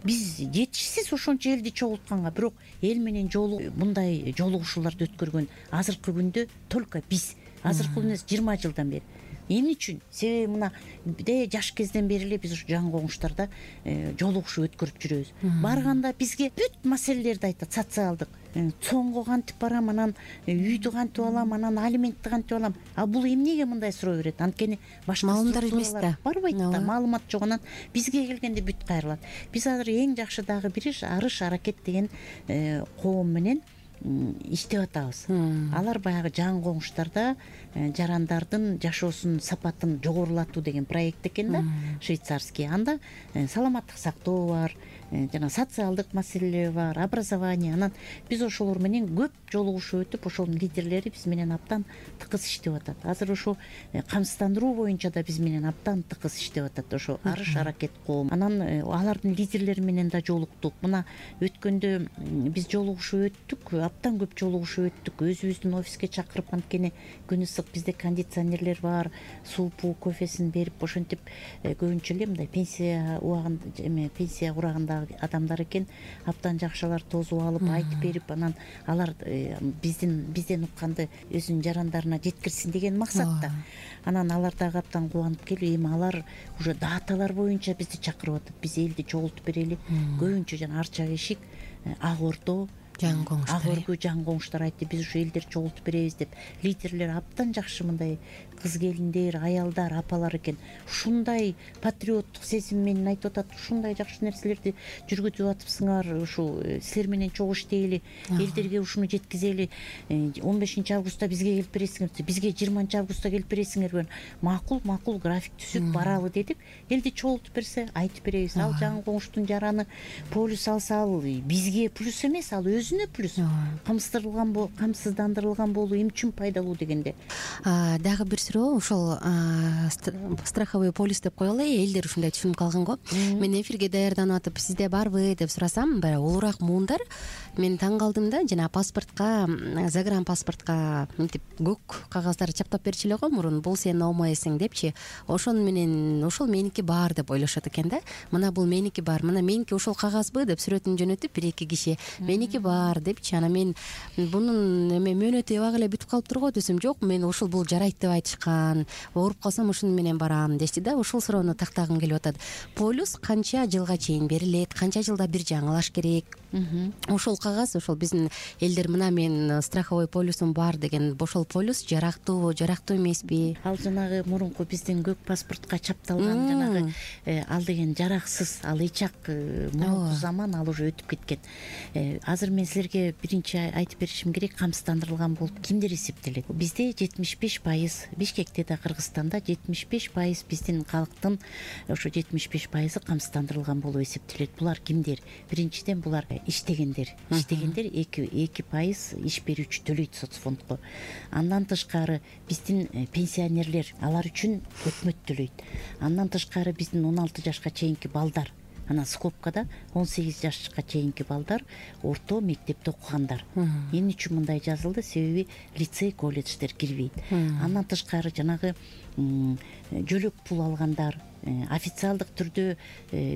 биз жетишсиз ошончо элди чогултканга, бирок эл менен жолу мындай жолугушууларды өткөргөн азыркы күндө только биз. Азыркы күндө жыйырма жылдан бери. Эмне үчүн? Себеби мына бизде жаш кезден бери эле биз ушу жаңы коңуштарда жолугушуу өткөрүп жүрөбүз. Барганда бизге бүт маселелерди айтат, социалдык. Цоңго кантип барам, анан үйдү кантип алам, анан алиментти кантип алам. А бул эмнеге мындай суроо берет? Анткени башка маалымдар эмес да. Барбайт да, маалымат жок. Анан бизге келгенде бүт кайрылат. Биз азыр эң жакшы дагы бир арыш аракет деген коом менен иштеп атабыз. Алар баягы жаңы коңуштарда жарандардын жашоосунун сапатын жогорулатуу деген проект экен да, швейцарский. Анда саламаттык сактоо бар, жана социалдык маселелер бар, образование. Анан биз ошолор менен көп жолугушуу өтүп, ошонун лидерлери биз менен абдан тыкыз иштеп атат. Азыр ошо камсыздандыруу боюнча да биз менен абдан тыкыз иштеп атат ошо арыш аракет коом. Анан алардын лидерлери менен да жолуктук. Мына өткөндө биз жолугушуу өттүк, абдан көп жолугушуу өттүк. Өзүбүздүн офиске чакырып, анткени күн ысык, бизде кондиционерлер бар, суупу, кофесин берип, ошентип көбүнчө эле мындай пенсия убагында эме пенсия урагында адамдар экен, абдан жакшылар тосуп алып айтып берип, анан алар биздин бизден укканды өзүнүн жарандарына жеткирсин деген максатта. Анан алар дагы абдан кубанып келип, эми алар уже даталар боюнча бизди чакырып атат. Биз элди чогултуп берели. Көбүнчө жана Ар Чак эшик, Ак Ордо, жаңы коңуштар, Ак Өргүү жаңы коңуштар айтты, биз ушу элдер чогултуп беребиз деп. Лидерлер абдан жакшы мындай кыз келиндер, аялдар, апалар экен. Ушундай патриоттук сезим менен айтып атат. Ушундай жакшы нерселерди жүргүзүп атыпсыңар, ушу силер менен чогуу иштейли, элдерге ушуну жеткизели. он бешинчи августта бизге келип бересиңер, бизге жыйырманчы августта келип бересиңер. Макул, макул, график түзүп баралы дедик. Элди чогултуп берсе, айтып беребиз. Ал жаңы коңуштун жараны полюс алса, ал бизге плюс эмес, ал өзүнө плюс. Камсыздандырылган болуу, камсыздандырылган болуу эмне үчүн пайдалуу дегенде. Дагы бир суроо, ошол страховой полис деп коелу, элдер ушундай түшүнүп калган го. Мен эфирге даярданып атып, сизде барбы деп сурасам, баягы улуураак муундар. Мен таң калдым да, жана паспортко, загран паспортко мынтип көк кагаздар чаптап берчү эле го мурун, бул сен оомойсуң депчи. Ошону менен ошол меники бар деп ойлошот экен да. Мына бул меники бар, мына меники ошол кагазбы деп сүрөтүн жөнөтүп бир эки киши меники бар депчи. Анан мен бунун эме мөөнөтү эбак эле бүтүп калып турго десем, жок, мен ошол бул жарайт деп айтышкан. Ооруп калсам ушуну менен барам дешти да. Ошол суроону тактагым келип атат. Полюс канча жылга чейин берилет? Канча жылда бир жаңылаш керек? Ошол кагаз, ошол биздин элдер мына мен страховой полюсум бар деген, ошол полюс жарактуубу, жарактуу эмеспи? Ал жанагы мурунку биздин көк паспортко чапталган жанагы ал деген жараксыз, ал эчак мурунку заман, ал уже өтүп кеткен. Азыр мен силерге биринчи айтып беришим керек, камсыздандырылган болуп кимдер эсептелет? Бизде жетимиш беш пайыз, Бишкекте да Кыргызстанда жетимиш беш пайыз биздин калктын ошо жетимиш беш пайызы камсыздандырылган болуп эсептелет. Булар кимдер? Биринчиден булар иштегендер. Иштегендер эки пайыз иш берүүчү төлөйт соцфондко. Андан тышкары биздин пенсионерлер, алар үчүн өкмөт төлөйт. Андан тышкары биздин он алты жашка чейинки балдар, анан скобкада он сегиз жашка чейинки балдар, орто мектепте окугандар. Эмне үчүн мындай жазылды? Себеби лицей, колледждер кирбейт. Андан тышкары жанагы жөлөк пул алгандар, официалдык түрдө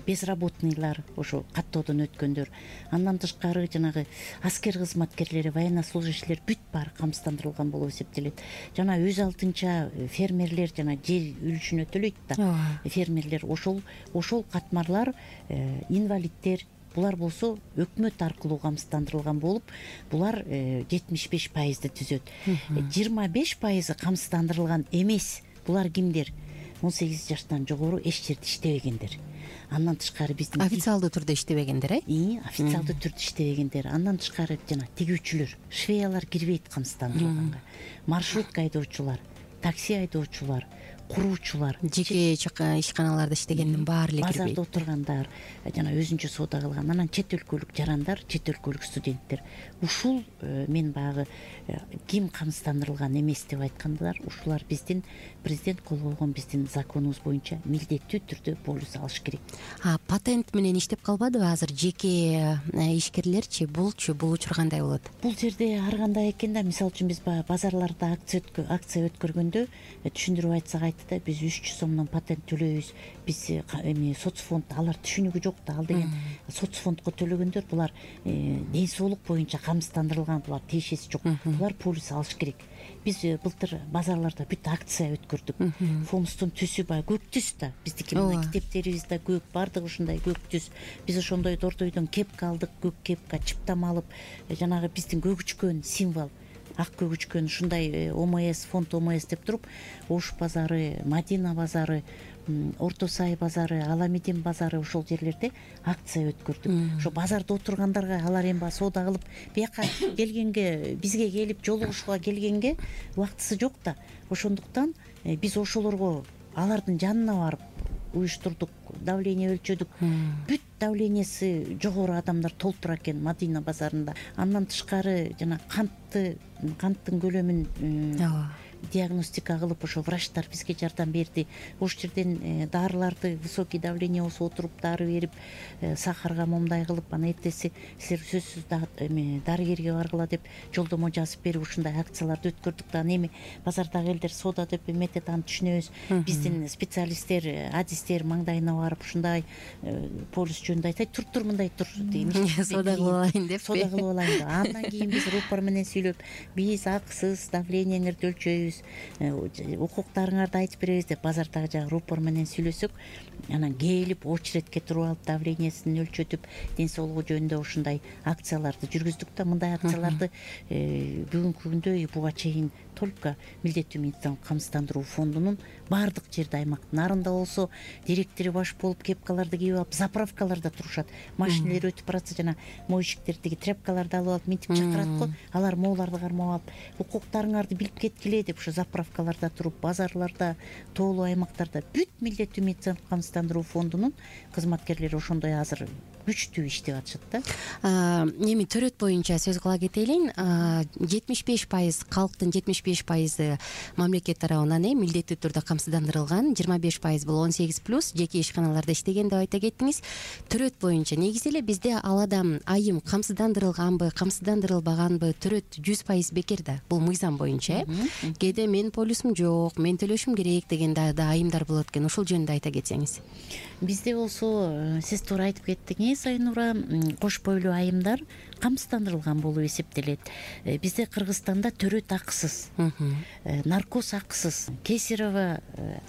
безработныйлар, ошо каттоодон өткөндөр. Андан тышкары жанагы аскер кызматкерлери, военнослужащийлер бүт баары камсыздандырылган болуп эсептелет. Жана өз алдынча фермерлер, жана жер үлүшүнө төлөйт да. Фермерлер ошол ошол катмарлар, инвалиддер, булар болсо өкмөт аркылуу камсыздандырылган болуп, булар жетимиш беш пайызды түзөт. жыйырма беш пайызы камсыздандырылган эмес. Булар кимдер? он сегиз жаштан жогору эч жерде иштебегендер. Андан тышкары биздин официалдуу түрдө иштебегендер, э? Официалдуу түрдө иштебегендер. Андан тышкары жана тигүүчүлөр, швеялар кирбейт камсыздандырылганга. Маршрутка айдоочулар, такси айдоочулар, куруучулар, жеке ишканаларда иштегендин баары эле кирбейт. Базарда отургандар, жана өзүнчө соода кылган, анан чет өлкөлүк жарандар, чет өлкөлүк студенттер. Ушул мен баягы ким камсыздандырылган эмес деп айткандар, ушулар биздин президент кол койгон биздин законубуз боюнча милдеттүү түрдө полис алыш керек. А патент менен иштеп калбадыбы азыр жеке ишкерлерчи? Булчу бул учур кандай болот? Бул жерде ар кандай экен да, мисалы үчүн биз баягы базарларда акция акция өткөргөндө түшүндүрүп айтсак айтты да, биз үч жүз сомдон патент төлөйбүз. Биз эми соцфонд, алар түшүнүгү жок да, ал деген соцфондко төлөгөндөр, булар ден соолук боюнча камсыздандырылган, булар тиешеси жок. Булар полис алыш керек. Биз былтыр базарларда бүт акция өткөрдүк. Фомстун түсү баягы көк түс да. Биздики мына китептерибиз да көк, баардыгы ушундай көк түс. Биз ошондой дордойдон кепка алдык, көк кепка, чыптама алып, жанагы биздин көгүчкөн символ, ак көгүчкөн ушундай ОМС, фонд ОМС деп туруп, Ош базары, Мадина базары, Орто Сай базары, Аламедин базары, ошол жерлерде акция өткөрдүк. Ошо базарда отургандарга алар эми соода кылып, бияка келгенге, бизге келип жолугушууга келгенге убактысы жок да. Ошондуктан биз ошолорго алардын жанына барып уюштурдук, давление өлчөдүк. Бүт давлениясы жогору адамдар толтура экен Мадина базарында. Андан тышкары жана кантты, канттын көлөмүн диагностика кылып, ошо врачтар бизге жардам берди. Ош жерден дарыларды, высокий давление болсо отуруп дары берип, сахарга момундай кылып, анан эртеси силер сөзсүз эми дарыгерге баргыла деп жолдомо жазып берип, ушундай акцияларды өткөрдүк да. Эми базардагы элдер соода деп эметет, аны түшүнөбүз. Биздин специалисттер, адистер маңдайына барып ушундай полис жөнүндө айтат, тур тур мындай тур деген. Соода кылып алайын деп. Соода кылып алайын деп. Андан кийин биз рупор менен сүйлөп, биз акысыз давлениеңерди өлчөйбүз, укуктарыңарды айтып беребиз деп базардагы жагы рупор менен сүйлөсөк, анан келип очередке туруп алып давлениясын өлчөтүп, ден соолугу жөнүндө ушундай акцияларды жүргүздүк да. Мындай акцияларды бүгүнкү күндө буга чейин только милдеттүү медициналык камсыздандыруу фондунун баардык жерде, аймактын нарында болсо, директори баш болуп кепкаларды кийип алып заправкаларда турушат. Машиналар өтүп баратса, жана моющиктердиги тряпкаларды алып алып минтип чакырат го, алар моуларды кармап алып, укуктарыңарды билип кеткиле деп ошо заправкаларда туруп, базарларда, тоолуу аймактарда бүт милдеттүү медициналык камсыздандыруу фондунун кызматкерлери ошондой азыр күчтүү иштеп атышат да. Эми төрөт боюнча сөз кыла кетелин. жетимиш беш пайыз калктын жетимиш беш пайызы мамлекет тарабынан э милдеттүү түрдө камсыздандырылган, жыйырма беш пайыз бул он сегиз плюс жеке ишканаларда иштеген деп айта кеттиңиз. Төрөт боюнча негизи эле бизде ал адам айым камсыздандырылганбы, камсыздандырылбаганбы, төрөт жүз пайыз бекер да. Бул мыйзам боюнча э. Кээде мен полисум жок, мен төлөшүм керек деген да айымдар болот экен. Ошол жөнүндө айта кетсеңиз. Бизде болсо, сиз туура айтып кеттиңиз Айнура, кош бойлуу айымдар камсыздандырылган болуп эсептелет. Бизде Кыргызстанда төрөт акысыз, наркоз акысыз, кесарево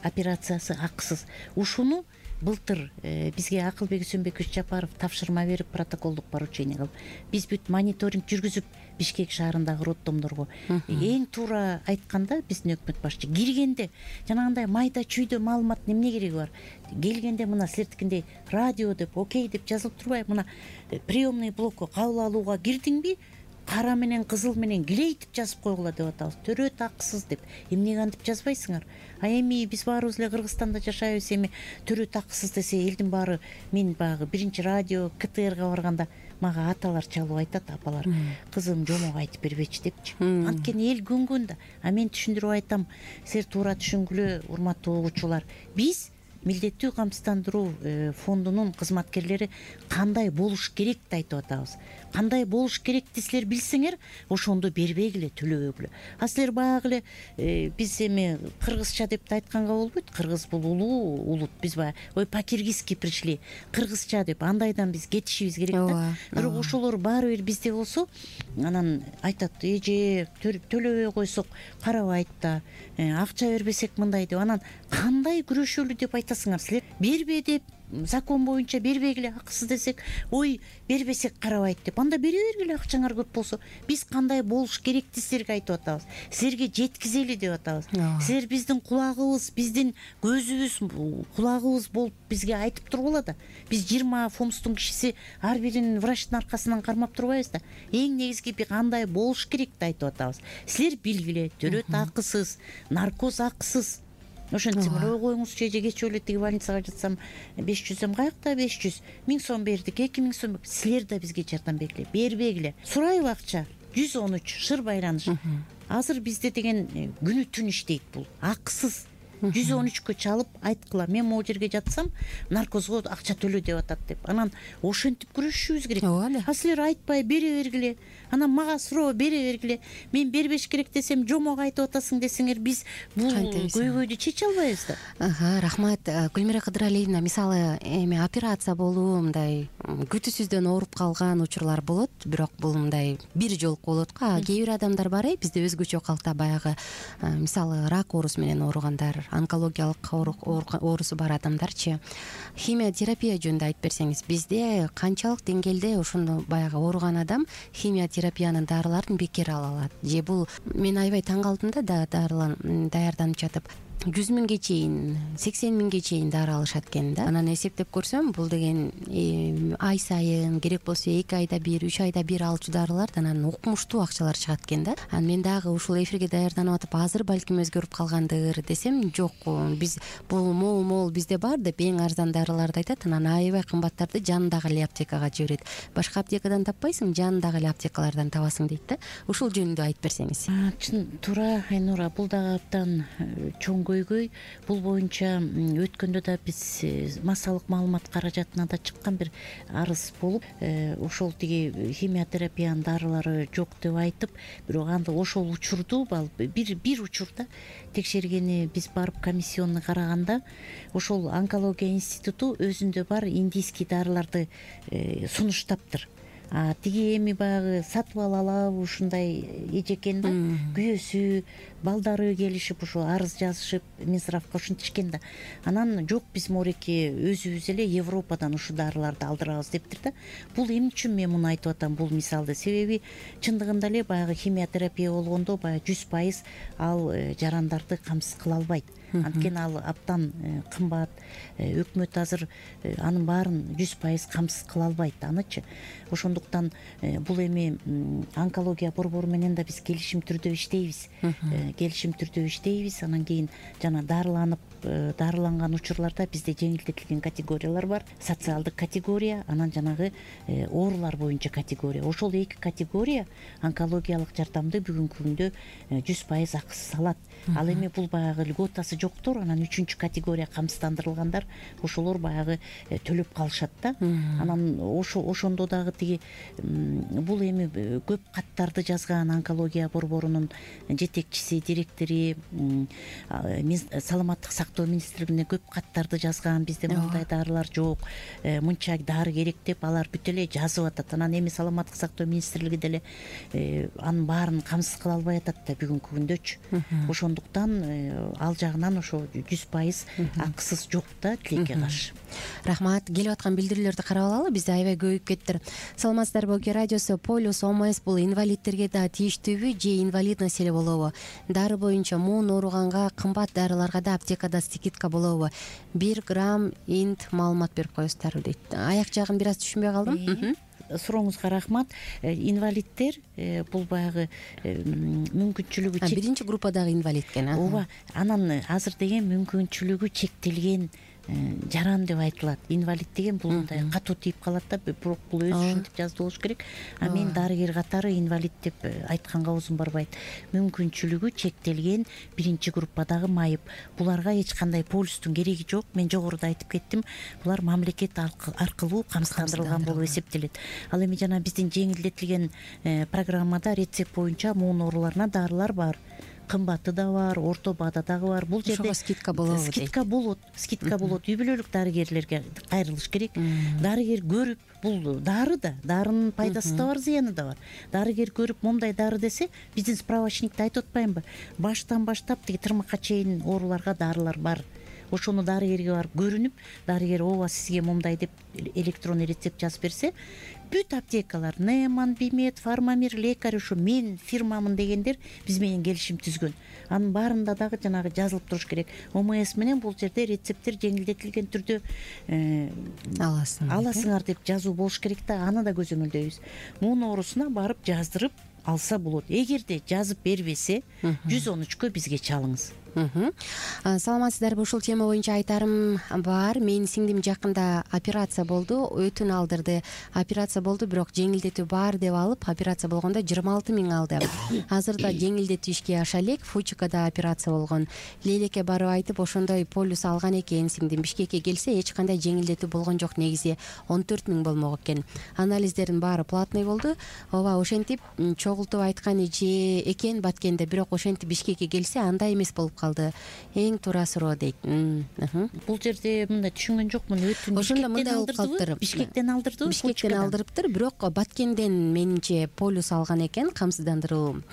операциясы акысыз. Ушуну былтыр бизге Акылбек Үсөнбекович Жапаров тапшырма берип, протоколдук поручение кылып, биз бүт мониторинг жүргүзүп, Бишкек шаарындагы роддомдорго эң туура айтканда биздин өкмөт башчы киргенде жанагындай майда чүйдө маалымат эмне кереги бар? Келгенде мына силердикиндей радио деп, окей деп жазылып турбайбы? Мына приемный блокко кабыл алууга кирдиңби? Кара менен кызыл менен килейтип жазып койгула деп атабыз. Төрөт акысыз деп. Эмнеге антип жазбайсыңар? А эми биз баарыбыз эле Кыргызстанда жашайбыз, эми төрөт акысыз десе элдин баары, мен багы биринчи радио КТРга барганда мага аталар чалып айтат, апалар, кызым жомок айтып бербечи депчи. Анткени эл көнгөн да. А мен түшүндүрүп айтам, силер туура түшүнгүлө, урматтуу угуучулар. Биз милдеттүү камсыздандыруу фондунун кызматкерлери кандай болуш керекти айтып атабыз. Кандай болуш керекти силер билсеңер, ошондо бербегиле, төлөбөгүлө. А силер баягы эле биз эми кыргызча деп да айтканга болбойт. Кыргыз бул улуу улут. Биз баягы ой по-киргизски пришли, кыргызча деп андайдан биз кетишибиз керек да. Бирок ошолор баары бир бизде болсо, анан айтат, эже төлөбөй койсок карабайт да, акча бербесек мындай деп. Анан кандай күрөшөлү деп айтасыңар силер? Бербе деп закон боюнча бербегиле акысыз десек, ой бербесек карабайт деп, анда бере бергиле, акчаңар көп болсо. Биз кандай болуш керекти силерге айтып атабыз, силерге жеткизели деп атабыз. Силер биздин кулагыбыз, биздин көзүбүз, кулагыбыз болуп бизге айтып тургула да. Биз жыйырма фомстун кишиси ар бирин врачтын аркасынан кармап турбайбыз да. Эң негизги кандай болуш керекти айтып атабыз. Силер билгиле, төрөт акысыз, наркоз акысыз. Ошентсем эле ой коюңузчу, эже кечээ эле тиги больницага жатсам беш жүз сом, каякта беш жүз, миң сом бердик, эки миң сом. Силер да бизге жардам бергиле, бербегиле. Сурайбы акча? жүз он үч шыр байланыш. Азыр бизде деген күнү түн иштейт бул. Акысыз. жүз он үчкө чалып айткыла, мен могу жерге жатсам наркозго акча төлө деп атат деп. Анан ошентип күрөшүшүбүз керек. А силер айтпай бере бергиле. Анан мага суроо бере бергиле. Мен бербеш керек десем, жомок айтып атасың десеңер, биз бул көйгөйдү чече албайбыз да. Ага, рахмат. Гүлмира Кыдыралиевна, мисалы, эми операция болуу, мындай күтүүсүздөн ооруп калган учурлар болот, бирок бул мындай бир жолку болот го. Кээ бир адамдар бар, бизде өзгөчө калкта баягы, мисалы, рак оорусу менен ооругандар, онкологиялык оорусу бар адамдарчы. Химия терапия жөнүндө айтып берсеңиз, бизде канчалык деңгээлде ошондо баягы ооруган адам химия терапиянын дарыларын бекер ала алат? Же бул мен аябай таң калдым да, дарылан даярданып жатып. жүз миңге чейин, сексен миңге чейин дары алышат экен да. Анан эсептеп көрсөм, бул деген ай сайын, керек болсо эки айда бир, үч айда бир алчу дарылардан анан укмуштуу акчалар чыгат экен да. Анан мен дагы ушул эфирге даярданып атып, азыр балким өзгөрүп калгандыр десем, жок, биз бул мол-мол бизде бар деп эң арзан дарыларды айтат, анан аябай кымбаттарды жанындагы эле аптекага жиберет. Башка аптекадан таппайсың, жанындагы эле аптекалардан табасың дейт да. Ушул жөнүндө айтып берсеңиз. Чын туура, Айнура, бул дагы абдан чоң көйгөй. Бул боюнча өткөндө да биз массалык маалымат каражатына да чыккан бир арыз болуп, ошол тиги химиотерапиянын дарылары жок деп айтып, бирок анда ошол учурду бир бир учурда текшергени биз барып комиссионный караганда, ошол онкология институту өзүндө бар индийский дарыларды сунуштаптыр. А тиги эми баягы сатып алалабы ушундай эжекен да, күйөөсү, балдары келишип ушу арыз жазышып Минздравга ушинтишкен да. Анан жок, биз мореки өзүбүз эле Европадан ушу дарыларды алдырабыз дептир да. Бул эмне үчүн мен муну айтып атам, бул мисалды? Себеби чындыгында эле баягы химиотерапия болгондо баягы жүз пайыз ал жарандарды камсыз кыла албайт. Анткени ал абдан кымбат. Өкмөт азыр анын баарын жүз пайыз камсыз кыла албайт анычы. Ошондуктан бул эми онкология борбору менен да биз келишим түрдө иштейбиз. Келишим түрдө иштейбиз. Анан кийин жана дарыланып, дарыланган учурларда бизде жеңилдетилген категориялар бар. Социалдык категория, анан жанагы оорулар боюнча категория. Ошол эки категория онкологиялык жардамды бүгүнкү күндө жүз пайыз акысыз алат. Ал эми бул баягы льготасы жоктор, анан үчүнчү категория камсыздандырылгандар, ошолор баягы төлөп калышат да. Анан ошо ошондо дагы тиги бул эми көп каттарды жазган онкология борборунун жетекчиси, директори, саламаттык сактоо министрлигине көп каттарды жазган. Бизде мындай дарылар жок, мынча дары керек деп алар бүт эле жазып атат. Анан эми саламаттык сактоо министрлиги деле анын баарын камсыз кыла албай атат да бүгүнкү күндөчү. Ошондуктан ал жагынан ошо жүз пайыз акысыз жок да тилекке каршы. Рахмат. Келип аткан билдирүүлөрдү карап алалы, бизде аябай көбөйүп кеттир. Саламатсыздарбы, Оке радиосу. Полюс ОМС бул инвалидтерге да тийиштүүбү же инвалид маселе болобу? Дары боюнча муун ооруганга кымбат дарыларга да аптекада скидка болобу? бир грамм инт маалымат берип коесуздарбы дейт. Аяк жагын бир аз түшүнбөй калдым. Сурооңузга рахмат. Инвалидтер бул баягы мүмкүнчүлүгү чек... биринчи группадагы инвалид экен. Ооба. Анан азыр деген мүмкүнчүлүгү чектелген жаран деп айтылат. Инвалид деген бул мындай катуу тийип калат да, бирок бул өзү ушинтип жазды болуш керек. А мен дарыгер катары инвалид деп айтканга оозум барбайт. Мүмкүнчүлүгү чектелген биринчи группадагы майып. Буларга эч кандай полюстун кереги жок. Мен жогоруда айтып кеттим. Булар мамлекет аркылуу камсыздандырылган болуп эсептелет. Ал эми жана биздин жеңилдетилген программада рецепт боюнча муун ооруларына дарылар бар. Кымбаты да бар, орто баада дагы бар. Бул жерде скидка болобу? Скидка болот, скидка болот. Үй бүлөлүк дарыгерлерге кайрылыш керек. Дарыгер көрүп, бул дары да, дарынын пайдасы да бар, зыяны да бар. Дарыгер көрүп, момдай дары десе, биздин справочникте айтып атпаймынбы? Баштан баштап тиги тырмакка чейин ооруларга дарылар бар. ошону дарыгерге барып көрүнүп, дарыгер ооба сизге мындай деп электронный рецепт жазып берсе, бүт аптекалар Неман, Бимед, Фармамир, Лекарь, ушу мен фирмамын дегендер биз менен келишим түзгөн. Анын баарында дагы жанагы жазылып туруш керек. ОМС менен бул жерде рецепттер жеңилдетилген түрдө аласың аласыңар деп жазуу болуш керек да, аны да көзөмөлдөйбүз. Муун оорусуна барып жаздырып алса болот. Эгерде жазып бербесе, жүз он үчкө бизге чалыңыз. Саламатсыздарбы? Ушул тема боюнча айтарым бар. Менин сиңдим жакында операция болду, өтүн алдырды. Операция болду, бирок жеңилдетүү бар деп алып, операция болгондо жыйырма алты миң алды. Азырда жеңилдетүү ишке аша элек. Фучикада операция болгон. Лейлеке барып айтып, ошондой полюс алган экен сиңдим. Бишкекке келсе, эч кандай жеңилдетүү болгон жок. Негизи он төрт миң болмок экен. Анализдердин баары платный болду. Ооба, ошентип чогултуп айткан же экен Баткенде, бирок ошентип Бишкекке келсе, андай эмес болуп эң туура суроо дейт. Бул жерде мындай түшүнгөн жокмун. Өтүн ошондо мындай болуп калыптыр. Бишкектен алдырдыбы? Бишкектен алдырыптыр, бирок Баткенден менимче полюс алган экен, камсыздандыруу.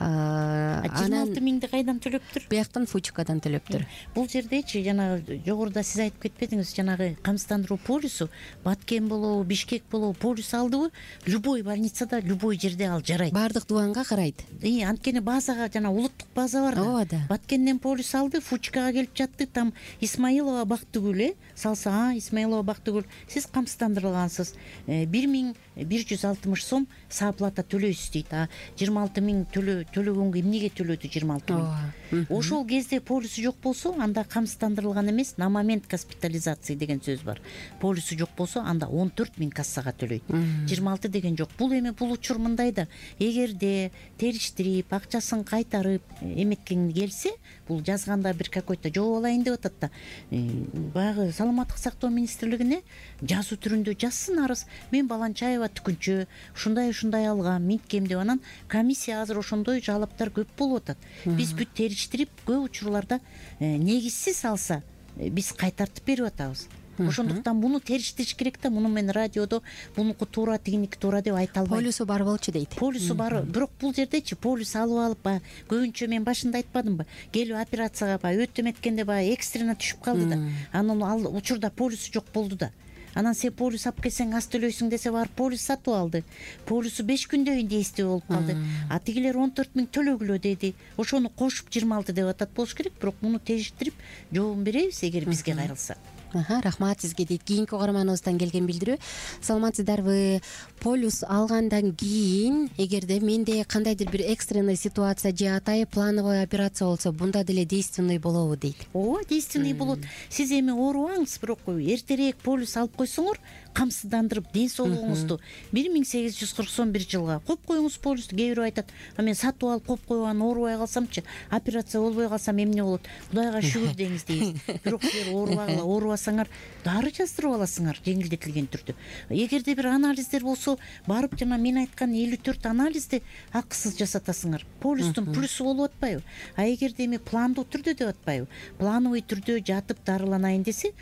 жыйырма алты миңди кайдан төлөптүр? Бияктан Фучикадан төлөптүр. Бул жердечи жанагы жогоруда сиз айтып кетпедиңиз, жанагы камсыздандыруу полюсу Баткен болобу, Бишкек болобу полюс алдыбы, любой больницада, любой жерде ал жарайт. Баардык дубанга карайт. Анткени базага жана улуттук база бар да. Ооба да. Баткенден полюс алды, Фучикага келип жатты, там Исмаилова Бактыгүл э салса, а Исмаилова Бактыгүл, сиз камсыздандырылгансыз. бир миң бир жүз алтымыш сом сооплата төлөйсүз дейт. А жыйырма алты миң төлөгөнгө эмнеге төлөдү жыйырма алты миң? Ошол кезде полюсу жок болсо, анда камсыздандырылган эмес, на момент госпитализации деген сөз бар. Полюсу жок болсо, анда он төрт миң кассага төлөйт. жыйырма алты деген жок. Бул эми бул учур мындай да, эгерде териштирип, акчасын кайтарып эметкен келсе, бул жазганда бир какой-то жооп алайын деп атат да. Баягы саламаттык сактоо министрлигине жазуу түрүндө жазсын арыз. Мен Баланчаева түкүнчү, ушундай ушундай алгам, минткем деп, анан комиссия азыр ошондой жалаптар көп болуп атат. Биз бүт териштирип, көп учурларда негизсиз алса, биз кайтартып берип атабыз. Ошондуктан муну териштириш керек да. Муну мен радиодо бунуку туура, тигиники туура деп айта албайм. Полюсу бар болчу дейт. Полюсу бар, бирок бул жердечи полюс алып алып, баягы көбүнчө мен башында айтпадымбы? Келип операцияга баягы өтүп эметкенде баягы экстренно түшүп калды да. Анан ал учурда полюсу жок болду да. Анан сен полюс алып келсең аз төлөйсүң десе, барып полюс сатып алды. Полюсу беш күндөйүн дейсти болуп калды. А тигилер он төрт миң төлөгүлө деди. Ошону кошуп жыйырма алты деп атат болуш керек, бирок муну териштирип жообун беребиз эгер бизге кайрылса. Рахмат сизге дейт кийинки угарманыбыздан келген билдирүү. Саламатсыздарбы? Полюс алгандан кийин, эгерде менде кандайдыр бир экстренный ситуация же атайын плановый операция болсо, бунда деле действенный болобу дейт. Ооба, действенный болот. Сиз эми оорубаңыз, бирок эртерээк полюс алып койсоңор, камсыздандырып ден соолугуңузду бир миң сегиз жүз кырксон бир жылга коюп коюңуз полюсту. Кээ бирөө айтат, а мен сатып алып коюп койгон, оорубай калсамчы, операция болбой калсам эмне болот? Кудайга шүгүр деңиз дейбиз. Бирок силер оорубагыла, оорубасаңар дары жаздырып аласыңар жеңилдетилген түрдө. Эгерде бир анализдер болсо, барып жана мен айткан элүү төрт анализди акысыз жасатасыңар. Полюстун плюсу болуп атпайбы? А эгерде эми пландуу түрдө деп атпайбы? Плановый түрдө жатып дарыланайын десе,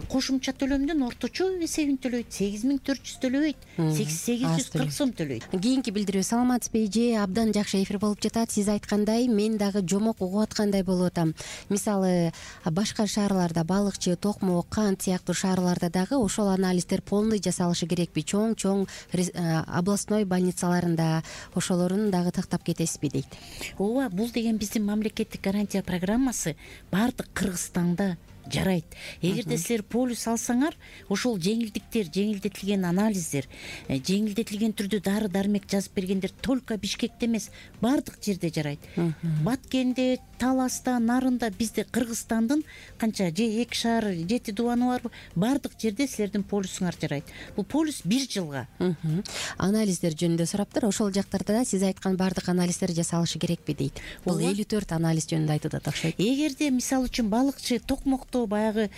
кошумча төлөмдөн орточо эсебин төлөйт, сегиз миң төрт жүз төлөбөйт, сегиз жүз кырк сом төлөйт. Кийинки билдирүү. Саламатсызбы эже? Абдан жакшы эфир болуп жатат. Сиз айткандай, мен дагы жомок угуп аткандай болуп атам. Мисалы, башка шаарларда Балыкчы, Токмок, Кант сыяктуу шаарларда дагы ошол анализдер полный жасалышы керекпи? Чоң-чоң областной больницаларында ошолорун дагы тактап кетесизби дейт. Ооба, бул деген биздин мамлекеттик гарантия программасы баардык Кыргызстанда жарайт. Эгерде силер полюс алсаңар, ошол жеңилдиктер, жеңилдетилген анализдер, жеңилдетилген түрдө дары дармек жазып бергендер только Бишкекте эмес, баардык жерде жарайт. Баткенде, Таласта, Нарында, бизде Кыргызстандын канча же эки шаар, жети дубаны барбы? Баардык жерде силердин полюсуңар жарайт. Бул полюс бир жылга. Анализдер жөнүндө сураптыр. Ошол жактарда да сиз айткан баардык анализдер жасалышы керекпи дейт. Бул элүү төрт анализ жөнүндө айтып атат окшойт. Эгерде мисалы үчүн Балыкчы, Токмокто баягы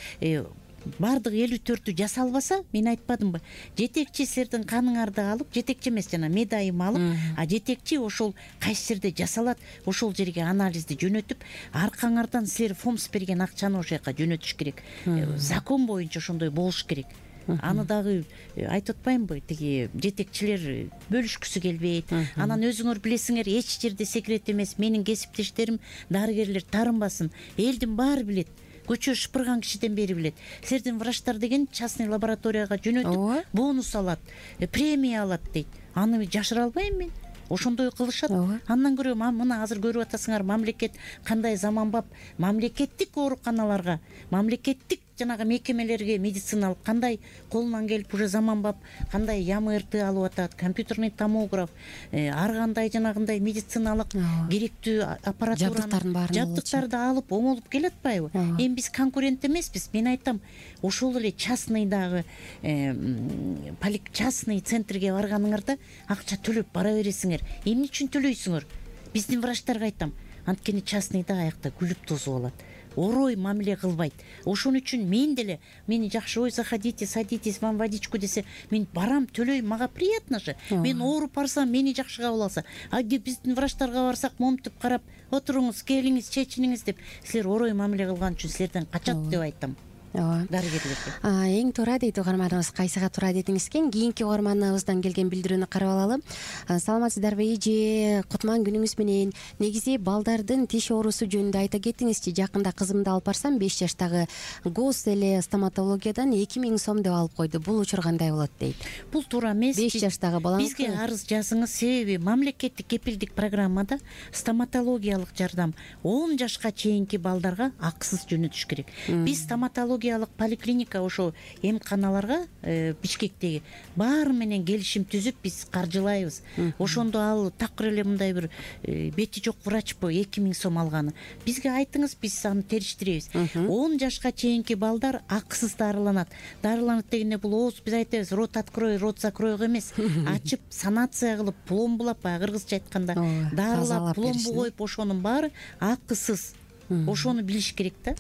баардык элүү төртү жасалбаса, мен айтпадымбы? Жетекчи силердин каныңарды алып, жетекчи эмес жана медайым алып, а жетекчи ошол кайсы жерде жасалат, ошол жерге анализди жөнөтүп, аркаңардан силер фомс берген акчаны ошол жака жөнөтүш керек. Закон боюнча ошондой болуш керек. Аны дагы айтып атпаймынбы? Тиги жетекчилер бөлүшкүсү келбейт. Анан өзүңөр билесиңер, эч жерде секрет эмес. Менин кесиптештерим, дарыгерлер тарынбасын. Элдин баары билет. көчө шыпырган кишиден бери билет. Силердин врачтар деген частный лабораторияга жөнөтүп бонус алат, премия алат дейт. Аны жашыра албайм мен. Ошондой кылышат. Андан көрө мына азыр көрүп атасыңар, мамлекет кандай заманбап, мамлекеттик ооруканаларга, мамлекеттик жанагы мекемелерге медициналык кандай колунан келип уже заманбап, кандай ЯМРТ алып атат, компьютерный томограф, ар кандай жанагындай медициналык керектүү аппаратураны, жабдыктарды алып оңолуп келатпайбы? Эми биз конкурент эмеспиз. Мен айтам, ошол эле частныйдагы частный центрге барганыңарда акча төлөп бара бересиңер. Эмне үчүн төлөйсүңөр? Биздин врачтарга айтам, анткени частныйда аякта күлүп тосуп алат. Орой мамиле кылбайт. Ошон үчүн мен деле, мени жакшы, ой, заходите, садитесь, вам водичку десе, мен барам, төлөйм, мага приятно же. Мен ооруп барсам, мени жакшы кабыл алса. А биздин врачтарга барсак, момтуп карап, отуруңуз, келиңиз, чечиниңиз деп, силер орой мамиле кылган үчүн силерден качат деп айтам. Дарыгерлерге. Эң туура дейт угарманыбыз, кайсыга туура дедиңиз экен. Кийинки угарманыбыздан келген билдирүүнү карап алалы. Саламатсыздарбы эже, кутман күнүңүз менен. Негизи балдардын тиш оорусу жөнүндө айта кетиңизчи. Жакында кызымды алып барсам, беш жаштагы гос эле стоматологиядан эки миң сом деп алып койду. Бул учур кандай болот дейт. Бул туура эмес. беш жаштагы балаңыз. Бизге арыз жазыңыз, себеби мамлекеттик кепилдик программада стоматологиялык жардам он жашка чейинки балдарга акысыз жөнөтүш керек. Биз стоматология поликлиника ошо эмканаларга Бишкектеги баары менен келишим түзүп биз каржылайбыз. Ошондо ал такыр эле мындай бир бети жок врачпы эки миң сом алганы. Бизге айтыңыз, биз аны териштиребиз. он жашка чейинки балдар акысыз дарыланат. Дарыланат дегенде бул ооз, биз айтабыз, рот открой, рот закройго эмес. Ачып, санация кылып, пломбулап, кыргызча айтканда дарылап, пломбу коюп, ошонун баары акысыз. Ошону билиш керек да.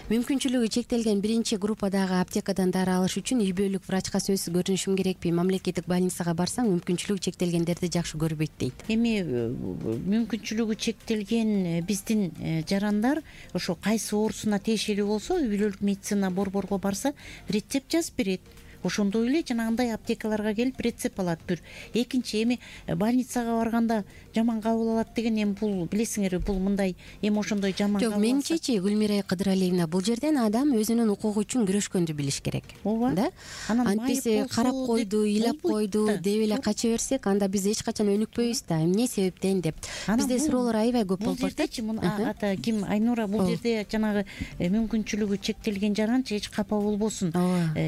Мүмкүнчүлүгү чектелген биринчи группадагы аптекадан дары алыш үчүн үй бүлөлүк врачка сөзсүз көрүнүшүм керекпи? Мамлекеттик больницага барсаң, мүмкүнчүлүгү чектелгендерди жакшы көрбөйт дейт. Эми мүмкүнчүлүгү чектелген биздин жарандар ошо кайсы оорусуна тиешелүү болсо, үй бүлөлүк медицина борборго барса, рецепт жазып берет. Ошондой эле жанагындай аптекаларга келип рецепт алат бир. Экинчи, эми больницага барганда жаман кабыл алат деген, эми бул билесиңерби, бул мындай эми ошондой жаман кабыл алса. Жок, менчичи Гүлмира Кыдыралиевна, бул жерден адам өзүнүн укугу үчүн күрөшкөндү билиш керек. Ооба. Да? Антиси карап койду, ыйлап койду деп эле кача берсек, анда биз эч качан өнүкпөйбүз да. Эмне себептен деп. Бизде суроолор аябай көп болуп атат. Бул жердечи ата ким Айнура, бул жерде жанагы мүмкүнчүлүгү чектелген жаранчы эч капа болбосун.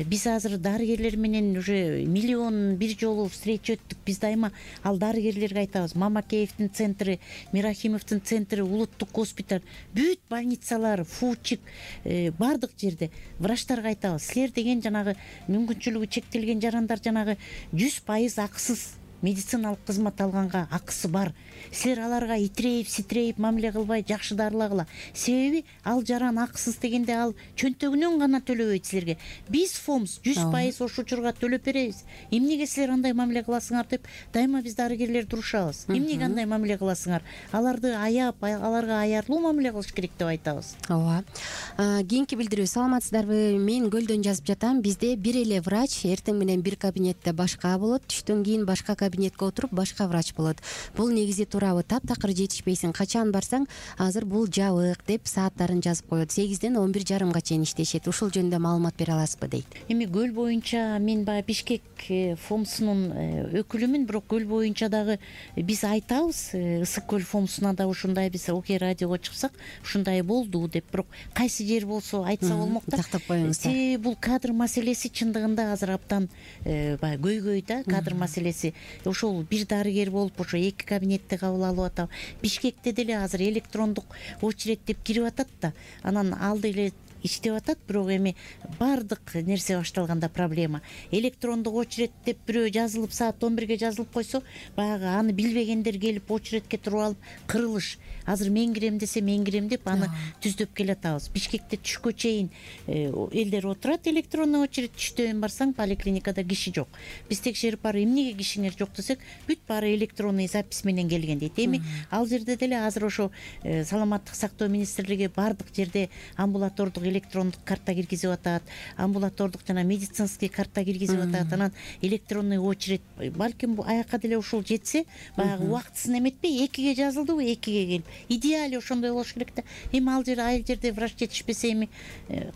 Биз азыр дарыгерлер менен уже миллион бир жолу встреча өттүк. Биз дайыма ал дарыгерлерге айтабыз. Мамакеевдин центри, Мирахимовдун центри, улуттук госпиталь, бүт больницалар, Фучик, бардык жерде врачтарга айтабыз. Силер деген жанагы мүмкүнчүлүгү чектелген жарандар жанагы жүз пайыз акысыз медициналык кызмат алганга акысы бар. Силер аларга итирейип, ситирейип мамиле кылбай жакшы дарылагыла. Себеби ал жаран акысыз дегенде ал чөнтөгүнөн гана төлөбөйт силерге. Биз ФОМС жүз пайыз ошо учурга төлөп беребиз. Эмнеге силер андай мамиле кыласыңар деп дайыма биз дарыгерлер турушабыз. Эмнеге андай мамиле кыласыңар? Аларды аяп, аларга аярлуу мамиле кылыш керек деп айтабыз. Ооба. Кийинки билдирүү. Саламатсыздарбы? Мен Көлдөн жазып жатам. Бизде бир эле врач, эртең менен бир кабинетте башка болот, түштөн кийин башка кабинетке отуруп башка врач болот. Бул негизи туурабы? Таптакыр жетишпейсиң, качан барсаң, азыр бул жабык деп сааттарын жазып коет. сегизден он бир жарымга чейин иштешет. Ушул жөнүндө маалымат бере аласызбы дейт. Эми Көл боюнча мен баягы Бишкек ФОМСунун өкүлүмүн, бирок Көл боюнча дагы биз айтабыз, Ысык Көл ФОМСуна да ушундай биз Окей радиого чыксак, ушундай болду деп, бирок кайсы жер болсо айтса болмок да. Тактап коюңуз. Себеби бул кадр маселеси чындыгында азыр абдан баягы көйгөй да, кадр маселеси. Ошол бир дарыгер болуп ошо эки кабинетте кабыл алып атат. Бишкекте деле азыр электрондук очередь деп кирип атат да, анан алды эле иштеп атат, бирок эми баардык нерсе башталганда проблема. Электрондук очередь деп бирөө жазылып, саат он бирге жазылып койсо, баягы аны билбегендер келип очередке туруп алып кырылыш. Азыр мен кирем десе мен кирем деп аны түздөп келатабыз. Бишкекте түшкө чейин элдер отурат, электронный очередь, түштөн барсаң поликлиникада киши жок. Биз текшерип барып, эмнеге кишиңер жок десек, бүт баары электронный запись менен келген дейт. Эми ал жерде деле азыр ошо саламаттык сактоо министрлиги баардык жерде амбулатордук электрондук карта киргизип атат, амбулатордук жана медицинский карта киргизип атат, анан электронный очередь. Балким аякка деле ушул жетсе, баягы убактысын эметпей экиге жазылдыбы, экиге келип идеаль ошондой болуш керек да. Эми ал жерде айыл жерде врач жетишпесе эми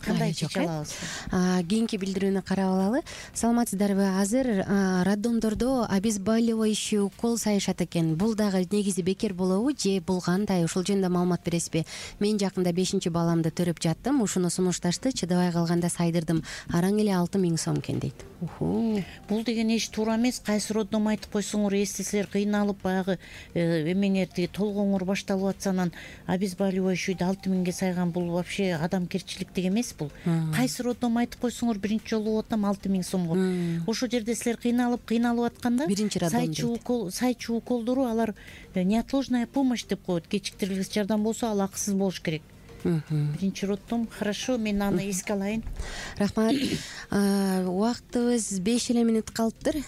кандай чече алабыз? Кийинки билдирүүнү карап алалы. Саламатсыздарбы? Азыр роддомдордо обезболивающий укол сайышат экен. Бул дагы негизи бекер болобу же бул кандай? Ушул жөнүндө маалымат бересизби? Мен жакында бешинчи баламды төрөп жаттым. Ушуну сунушташты, чыдабай калганда сайдырдым. Араң эле алты миң сом экен дейт. Бул деген эч туура эмес. Кайсы роддом айтып койсоңор, эстесеңер кыйналып баягы эмеңер тиги толгооңор башталып атса, анан обезболивающийди алты миңге сайган, бул вообще адамгерчиликтик эмес бул. Кайсы роддом айтып койсоңор, биринчи жолу болуп атам алты миң сомго. Ошол жерде силер кыйналып кыйналып атканда сайчы укол сайчы уколдору алар неотложная помощь деп коет. Кечиктирилгис жардам болсо ал акысыз болуш керек. Биринчи роддом. Хорошо, мен аны эске алайын. Рахмат. Убактыбыз беш эле мүнөт калыптыр.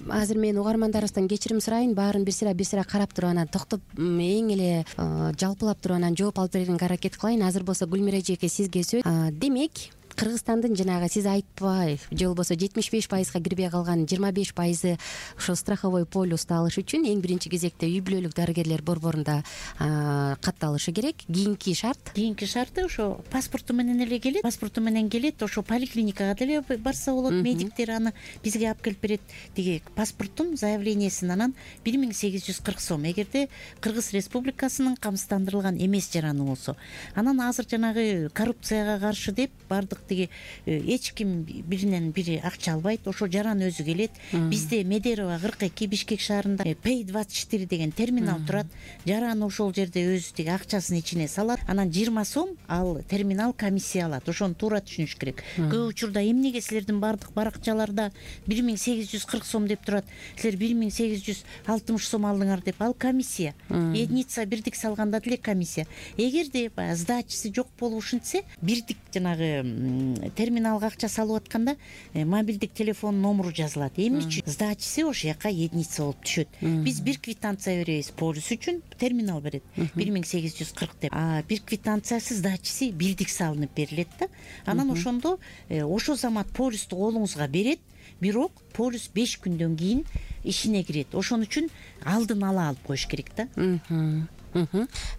Азыр мен угармандарыбыздан кечирим сурайын. Баарын бир сыра бир сыра карап туруп анан токтоп эң эле жалпылап туруп анан жооп алып берүүгө аракет кылайын. Азыр болсо Гүлмира эжеке сизге сөз. Демек, Кыргызстандын жанагы сиз айтпай же болбосо жетимиш беш пайызга кирбей калган жыйырма беш пайызы ошо страховой полюсту алыш үчүн эң биринчи кезекте үй бүлөлүк дарыгерлер борборунда катталышы керек. Кийинки шарт кийинки шарты ошо паспорту менен эле келет. Паспорту менен келет, ошо поликлиникага деле барса болот. Медиктер аны бизге алып келип берет. Тиги паспорттун заявлениесин анан бир миң сегиз жүз кырк сом. Эгерде Кыргыз Республикасынын камсыздандырылган эмес жараны болсо. Анан азыр жанагы коррупцияга каршы деп бардык тиги эч ким биринен бири акча албайт. Ошо жаран өзү келет. Бизде Медерова кырк эки Бишкек шаарында Пей двадцать четыре деген терминал турат. Жаран ошол жерде өзү тиги акчасын ичине салат. Анан жыйырма сом ал терминал комиссия алат. Ошону туура түшүнүш керек. Көп учурда эмнеге силердин бардык баракчаларда бир миң сегиз жүз кырк сом деп турат, силер бир миң сегиз жүз алтымыш сом алдыңар деп? Ал комиссия. Единица бирдик салганда деле комиссия. Эгерде баягы сдачасы жок болуп ушинтсе, бирдик жанагы терминалга акча салып атканда мобилдик телефон номеру жазылат. Эмне үчүн? Сдачасы ошол жака единица болуп түшөт. Биз бир квитанция беребиз полис үчүн, терминал берет бир миң сегиз жүз кырк деп. А бир квитанциясы сдачасы бирдик салынып берилет да. Анан ошондо ошол замат полисту колуңузга берет, бирок полис беш күндөн кийин ишине кирет. Ошон үчүн алдын ала алып коюш керек да.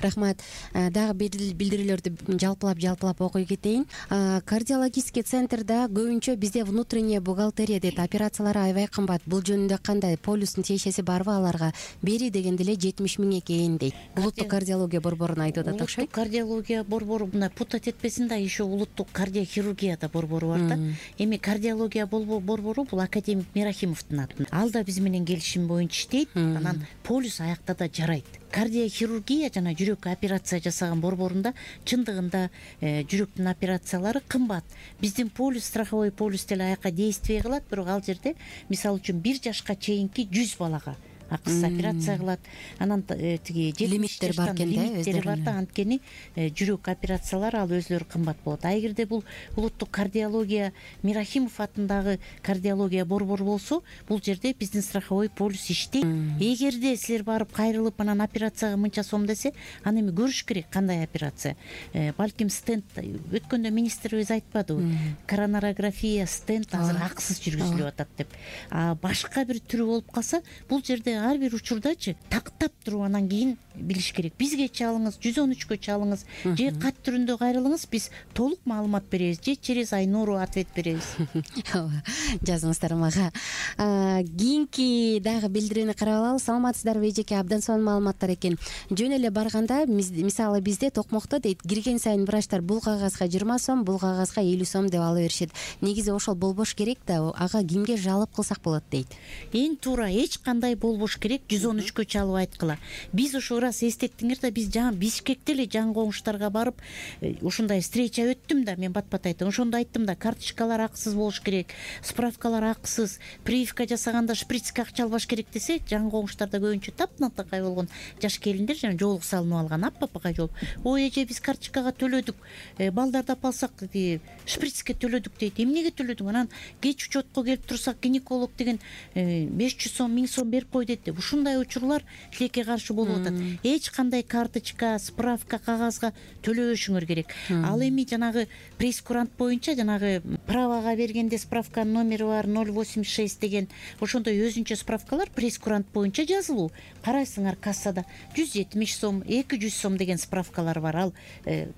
Рахмат. Дагы билдирүүлөрдү жалпылап жалпылап окуй кетейин. Кардиологический центрда көбүнчө бизде внутренняя бухгалтерия дейт. Операциялары аябай кымбат. Бул жөнүндө кандай? Полюстун тиешеси барбы аларга? Бери дегенде эле жетимиш миң экен дейт. Улуттук кардиология борборун айтып атат окшойт. Улуттук кардиология борбору мына путать этпесин да, еще улуттук кардиохирургия да борбору бар да. Эми кардиология борбору бул академик Мирахимовдун аты. Ал да биз менен келишим боюнча иштейт. Анан полюс аякта да жарайт. Кардиохирургия жана жүрөк операция жасаган борборунда чындыгында жүрөктүн операциялары кымбат. Биздин полюс, страховой полюс деле аякка действие кылат, бирок ал жерде мисалы үчүн бир жашка чейинки жүз балага акысыз операция кылат. Анан тиги лимиттер бар экен да, лимиттери бар да, анткени жүрөк операциялары ал өзлөрү кымбат болот. А эгерде бул улуттук кардиология Мирахимов атындагы кардиология борбору болсо, бул жерде биздин страховой полюс иштейт. Эгерде силер барып кайрылып анан операцияга мынча сом десе, аны эми көрүш керек кандай операция. Балким стенд өткөндө министрибиз айтпадыбы? Коронарография, стенд азыр акысыз жүргүзүлүп атат деп. А башка бир түрү болуп калса, бул жерде ар бир учурдачы тактап туруп анан кийин билиш керек. Бизге чалыңыз, жүз он үчкө чалыңыз, же кат түрүндө кайрылыңыз, биз толук маалымат беребиз, же через Айнуру ответ беребиз. Жазыңыздар мага. Кийинки дагы билдирүүнү карап алалы. Саламатсыздарбы эжеке? Абдан сонун маалыматтар экен. Жөн эле барганда, мисалы бизде токмокто дейт, кирген сайын врачтар бул кагазга жыйырма сом, бул кагазга элүү сом деп ала беришет. Негизи ошол болбош керек да, ага кимге жалоп кылсак болот дейт. Эң туура, эч кандай болбош керек, жүз он үчкө чалып айткыла. Биз ошо раз эстеттиңер да, биз жаңы Бишкекте эле жан коңуштарга барып ушундай встреча өттүм да, мен бат-бат айттым. Ошондо айттым да, карточкалар акысыз болуш керек, справкалар акысыз, прививка жасаганда шприцке акча албаш керек десе, жан коңуштарда көбүнчө таптакай болгон жаш келиндер жана жоолук салынып алган аппапакай жол. Ой эже, биз карточкага төлөдүк, балдарды алып алсак шприцке төлөдүк дейт. Эмнеге төлөдүң? Анан кеч учетко келип турсак, гинеколог деген беш жүз сом, миң сом берип кой дейт деп. Ушундай учурлар тилекке каршы болуп атат. эч кандай карточка, справка, кагазга төлөбөшүңөр керек. Ал эми жанагы прейскурант боюнча жанагы правага бергенде справканын номери бар ноль восемьдесят шесть деген ошондой өзүнчө справкалар прейскурант боюнча жазылуу. Карайсыңар кассада жүз жетимиш сом, эки жүз сом деген справкалар бар. Ал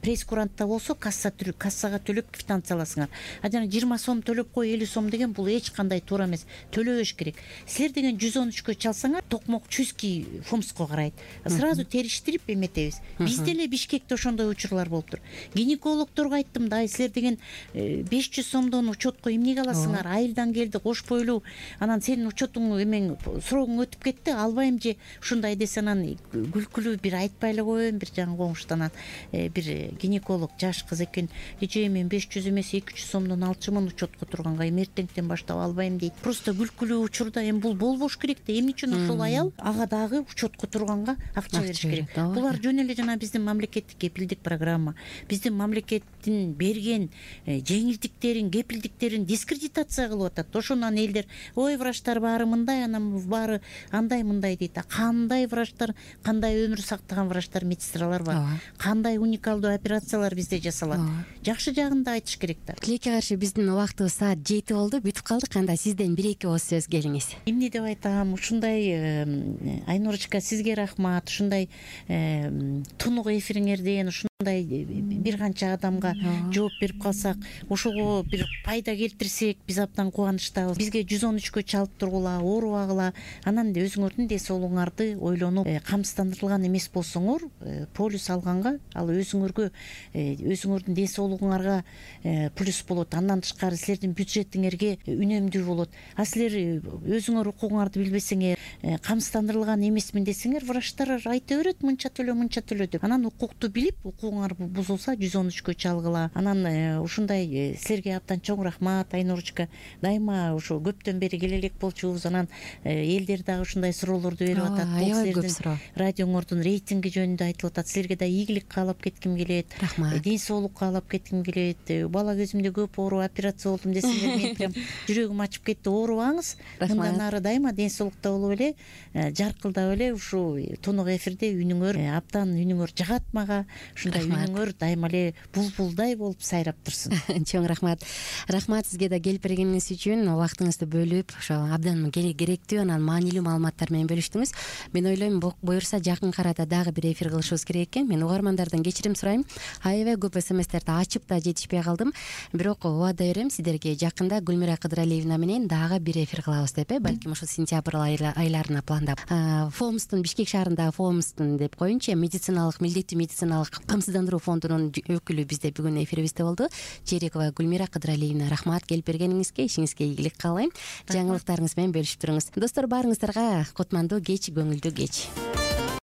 прейскурантта болсо касса кассага төлөп квитанция аласыңар. А жана жыйырма сом төлөп кой, элүү сом деген бул эч кандай туура эмес. Төлөбөш керек. Силер деген жүз он үчкө чалсаңар токмок чуйский фомско карайт. Сразу териштирип эметебиз. Бизде эле Бишкекте ошондой учурлар болуптур. Гинекологдорго айттым да, силер деген беш жүз сомдон учетко эмнеге аласыңар? Айылдан келди, кош бойлуу. Анан сенин учетуң эмең срогуң өтүп кетти, албайм же ушундай десе, анан күлкүлүү бир айтпай эле коеюн. Бир жаңы коңуштан бир гинеколог жаш кыз экен. Эже мен беш жүз эмес эки жүз сомдон алчумун учетко турганга, эми эртеңден баштап албайм дейт. Просто күлкүлүү учурда эми бул болбош керек да. Эмне үчүн ушул аял ага дагы учетко турганга акча бериш керек? Булар жөн эле жана биздин мамлекеттик кепилдик программа, биздин мамлекеттин берген жеңилдиктерин, кепилдиктерин дискредитация кылып атат. Ошондон элдер ой врачтар баары мындай, анан баары андай мындай дейт. Кандай врачтар, кандай өмүр сактаган врачтар, медсестралар бар, кандай уникалдуу операциялар бизде жасалат. Жакшы жагын да айтыш керек да. Тилекке каршы биздин убактыбыз саат жети болду, бүтүп калдык. Анда сизден бир эки ооз сөз келиңиз. Эмне деп айтам, ушундай Айнурочка, сизге рахмат. Ушундай тунук эфириңерден ушундай бир канча адамга жооп берип калсак, ошого бир пайда келтирсек, биз абдан кубанычтабыз. Бизге жүз он үчкө чалып тургула, оорубагыла, анан өзүңөрдүн ден соолугуңарды ойлонуп, камсыздандырылган эмес болсоңор, полис алганга ал өзүңөргө, өзүңөрдүн ден соолугуңарга плюс болот. Андан тышкары силердин бюджетиңерге үнөмдүү болот. А силер өзүңөр укугуңарды билбесеңер, камсыздандырылган эмесмин десеңер, врачтар айта берет мынча төлө, мынча төлө деп. Анан укукту билип, укугуңар бузулса жүз он үчкө чалгыла. Анан ушундай силерге абдан чоң рахмат, Айнурочка. Дайыма ошо көптөн бери келе элек болчубуз. Анан элдер дагы ушундай суроолорду берип атат. Бул силердин радиоңордун рейтинги жөнүндө айтылып атат. Силерге да ийгилик каалап кетким келет. Ден соолук каалап кетким келет. Бала кезимде көп оору, операция болдум десеңер, мен прям жүрөгүм ачып кетти. Оорубаңыз. Мындан ары дайыма ден соолукта болуп эле, жаркылдап эле ушул тунук эфирде үнүңөр абдан үнүңөр жагат мага. Ушундай үнүңөр дайыма эле булбулдай болуп сайрап турсун. Чоң рахмат. Рахмат сизге да келип бергениңиз үчүн, убактыңызды бөлүп, ошо абдан керектүү, анан маанилүү маалыматтар менен бөлүштүңүз. Мен ойлойм, буюрса жакын арада дагы бир эфир кылышыбыз керек экен. Мен угармандардан кечирим сурайм. Аябай көп смстерди ачып да жетишпей калдым. Бирок убада берем сиздерге жакында Гүлмира Кыдыралиевна менен дагы бир эфир кылабыз деп, балким ошо сентябрь айларына пландап. Фомстун, Бишкек шаарындагы Фомстун деп коеюнчу, медициналык, милдеттүү медициналык камсыздандыруу фондунун өкүлү бизде бүгүн эфирибизде болду. Жерекова Гүлмира Кыдыралиевна, рахмат келип бергениңизге, ишиңизге ийгилик каалайм. Жаңылыктарыңыз менен бөлүшүп туруңуз. Достор, баарыңыздарга кутмандуу кеч, көңүлдүү кеч.